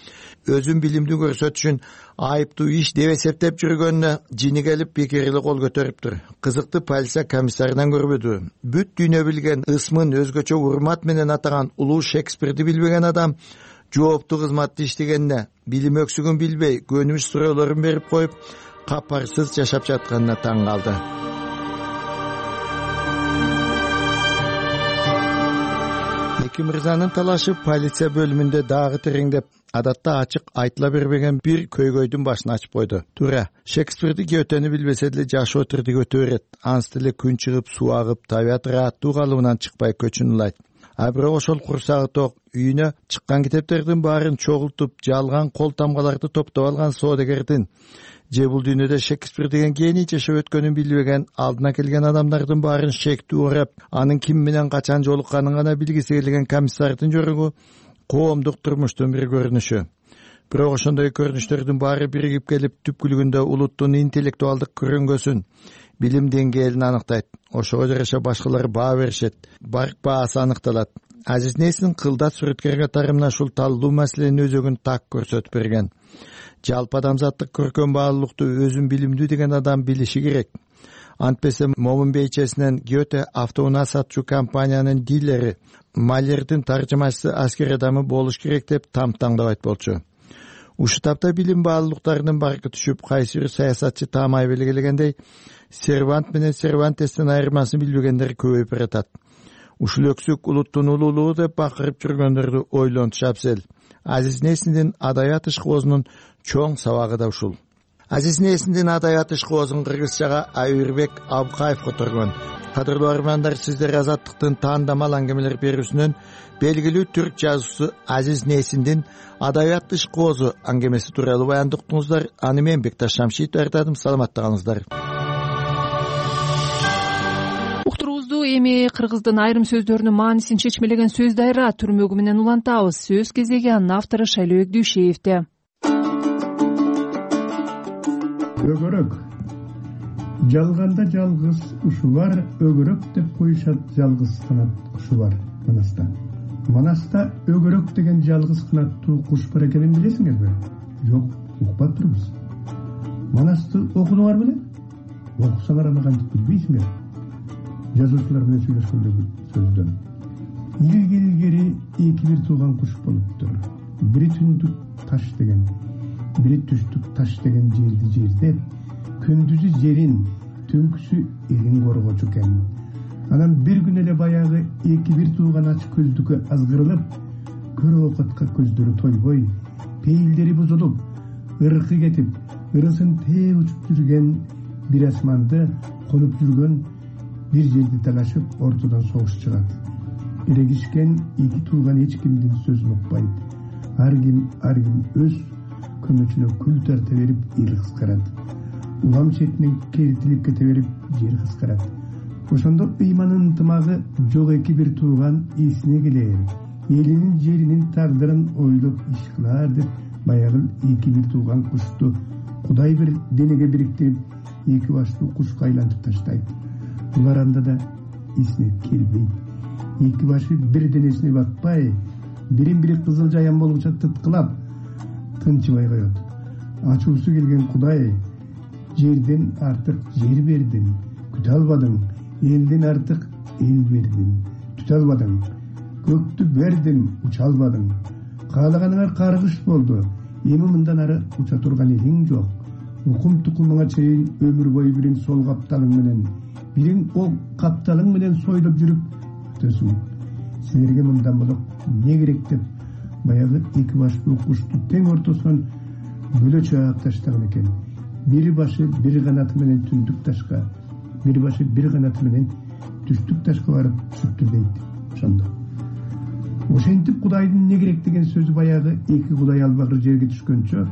өзүн билимдүү көрсөтүшүн айыптуу иш деп эсептеп жүргөнүнө жини келип бекер эле кол көтөрүптүр. Кызыкты полиция комиссарынан көрбөдү. Бүт дүйнө билген, ысмын өзгөчө урмат менен атаган улуу Шекспирди билбеген адам жооптуу кызматты иштегенине, билим өксүгүн билбей, көнүмүш суроолорун берип коюп, капарсыз жашап жатканына таң калды. эки мырзанын талашы полиция бөлүмүндө дагы тереңдеп, адатта ачык айтыла бербеген бир көйгөйдүн башын ачып койду. Туура, Шекспирди Гетени билбесе деле жашоо тирдигөтө берет. Ансы деле күн чыгып, суу агып, табият ырааттуу калыбынан чыкпай көчүн улайт. А бирок ошол курсагы ток үйүнө чыккан китептердин баарын чогултуп, жалган кол тамгаларды топтоп алган соодагердин же бул дүйнөдө Шекспир деген гений жашап өткөнүн билбеген, алдына келген адамдардын баарын шектүү урап, анын ким менен качан жолукканын гана билгиси келген комиссардын жөрөгү коомдук турмуштун бир көрүнүшү. Бирок ошондой көрүнүштөрдүн баары биригип келип, түпкүлүгүндө улуттун интеллектуалдык көрүнгөсүн, билим деңгээлин аныктайт. Ошого жараша башкалар баа беришет, барк баасы аныкталат. Азиз Несин кылдат сүрөткер катары мына ушул талдуу маселенин өзөгүн так көрсөтүп берген. Жалпы адамзаттык көркөм баалуулукту өзүн билимдүү деген адам билиши керек. Антпесе момун бейчесинен Гете автоунаа сатчу компаниянын дилери, Малердин таржымачысы аскер адамы болуш керек деп тамтаңдабайт болчу. Ушул тапта билим баалуулуктарынын баркы түшүп, кайсы бир саясатчы таамай белгилегендей, Сервант менен Сервантестин айырмасын билбегендер көбөйүп баратат. Ушул өксүк улуттун улуулугу деп бакырып жүргөндөрдү ойлонуш абзел. Азиз Несиндин адабият ишкоозунун чоң сабагы да ушул. Азиз Несиндин адабият ишкоозун кыргызчага Айырбек Абкаев которгон. Кадырлуу армандар, сиздер Азаттыктын таандамал аңгемелер берүүсүнөн белгилүү түрк жазуучусу Азиз Несиндин адабият ишкоозу аңгемеси тууралуу баяндыктыңыздар. Аны мен Бекташ Шамшитов даярдадым. Саламатта калыңыздар. Уктуруубузду эми кыргыздын айрым сөздөрүнүн маанисин чечмелеген сөз дайра түрмөгү менен улантабыз. Сөз кезеги анын автору Шайлообек Дүйшеевде. Өгөрөк. Жалганда жалгыз ушу бар, өгөрөк деп коюшат жалгыз канат кушу бар Манаста. Манаста өгөрөк деген жалгыз канаттуу куш бар экенин билесиңерби? Жок, укпаптырбыз. Манасты окудуңар беле? Окусаңар аны кантип билбейсиңер? Жазуучулар менен сүйлөшкөндөгү сөздөн. Илгери эки бир тууган куш болуптур. Бири түндүк таш деген, бири түштүк таш деген жерди жердеп, күндүзү жерин, түнкүсү элин коргочу экен. Анан бир күн эле баягы эки бир тууган ач көздүккө азгырылып, көрө окатка көздөрү тойбой, пейилдери бузулуп, ыркы кетип, ырысын тээ учуп жүргөн бир асманды конуп жүргөн бир жерди талашып, ортодон согуш чыгат. Эрегишкен эки тууган эч кимдин сөзүн укпайт. Ар ким ар ким өз көмөчүнө күл тарта берип, эл кыскарат. Улам четинен керитилип кете берип, жер кыскарат. Ошондо ыйманын ынтымагы жок эки бир тууган эсине келер. Элинин жеринин тагдырын ойлоп иш кылар деп, баягы эки бир тууган кушту Кудай бир денеге бириктирип, эки баштуу кушка айлантып таштайт. Булар анда да эсине келбейт. Эки башы бир денесине батпай, бирин-бири кызыл жаян болгуча тыткылап, тынчыбай коет. Ачуусу келген Кудай: жерден артык жер бердим, күтө албадың. Элден артык эл бердим, түтө албадың. Көктү бердим, уча албадың. Каалаганыңар каргыш болду. Эми мындан ары уча турган элиң жок. Укум тукумуңа чейин өмүр бою бириң сол капталың менен, бириң ол капталың менен сойлоп жүрүп өтөсүң. Силерге мындан болуп эмне керек деп, баягы эки баштуу кушту тең ортосунан бөлө чаап таштаган экен. Бир башы бир канаты менен түндүк ташка, бир башы бир канаты менен түштүк ташка барып түшүптүр дейт. Ошондо ошентип Кудайдын эмне керек деген сөзү баягы эки Кудай албагыр жерге түшкөнчө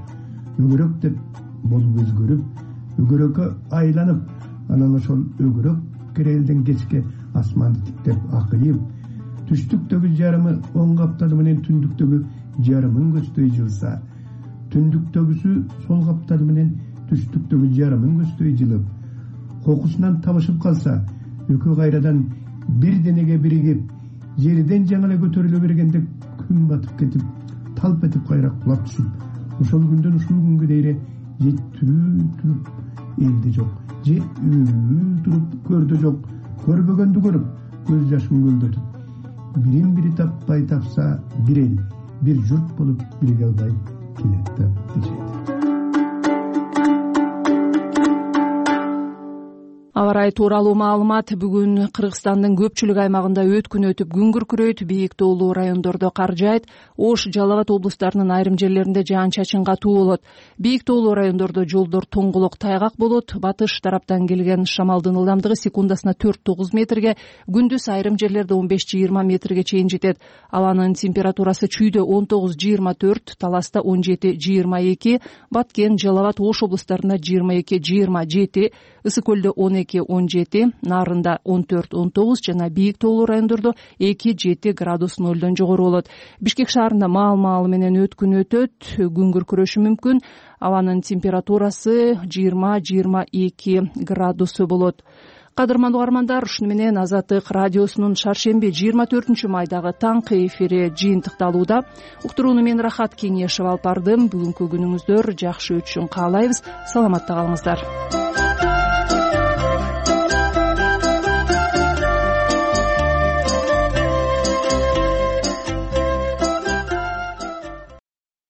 өгөрөк деп болуп өзгөрүп, өгөрөккө айланып, анан ошол өгөрөк керелден кечке асманды тиктеп акыйып, түштүктөгү жарымы оң капталы менен түндүктөгү жарымын көздөй жылса, түндүктөгүсү сол капталы менен түштүктөгү жарымын көздөй жылып, кокусунан табышып калса, экөө кайрадан бир денеге биригип, жерден жаңы эле көтөрүлө бергенде күн батып кетип, талп этип кайра кулап түшүп, ошол күндөн ушул күнгө дейре же түрүү туруп элде жок, же үй туруп көрдө жок, көрбөгөндү көрүп, көз жашын көлдөтүп, бирин бири таппай тапса, бир эл, бир журт болуп бириге албай келет деп дешет. Аба ырайы тууралуу маалымат. Бүгүн Кыргызстандын көпчүлүк аймагында өткүн өтүп күн күркүрөйт, бийик тоолуу райондордо кар жаайт. Ош, Жалал абад облустарынын айрым жерлеринде жаан-чачын катуу болот. Бийик тоолуу райондордо жолдор тоңголок, тайгак болот. Батыш тараптан келген шамалдын ылдамдыгы секундасына төрт тогуз метрге, күндүз айрым жерлерде он беш жыйырма метрге чейин жетет. Абанын температурасы чүйдө он тогуз жыйырма төрт, Таласта он жети жыйырма эки, Баткен, Жалал абад, Ош облустарында жыйырма эки жыйырма жети, Ысык көлдө он эки он жети, Нарында он төрт он тогуз жана бийик тоолуу райондордо эки жети градус нолдон жогору болот. Бишкек шаарында маал-маалы менен өткүн өтөт, күн күркүрөшү мүмкүн. Абанын температурасы жыйырма жыйырма эки градусу болот. Кадырман угармандар, ушуну менен Азаттык радиосунун шаршемби жыйырма төртүнчү майдагы таңкы эфири жыйынтыкталууда. Уктурууну мен Рахат Кеңешев алып бардым. Бүгүнкү күнүңүздөр жакшы өтүшүн каалайбыз. Саламатта калыңыздар.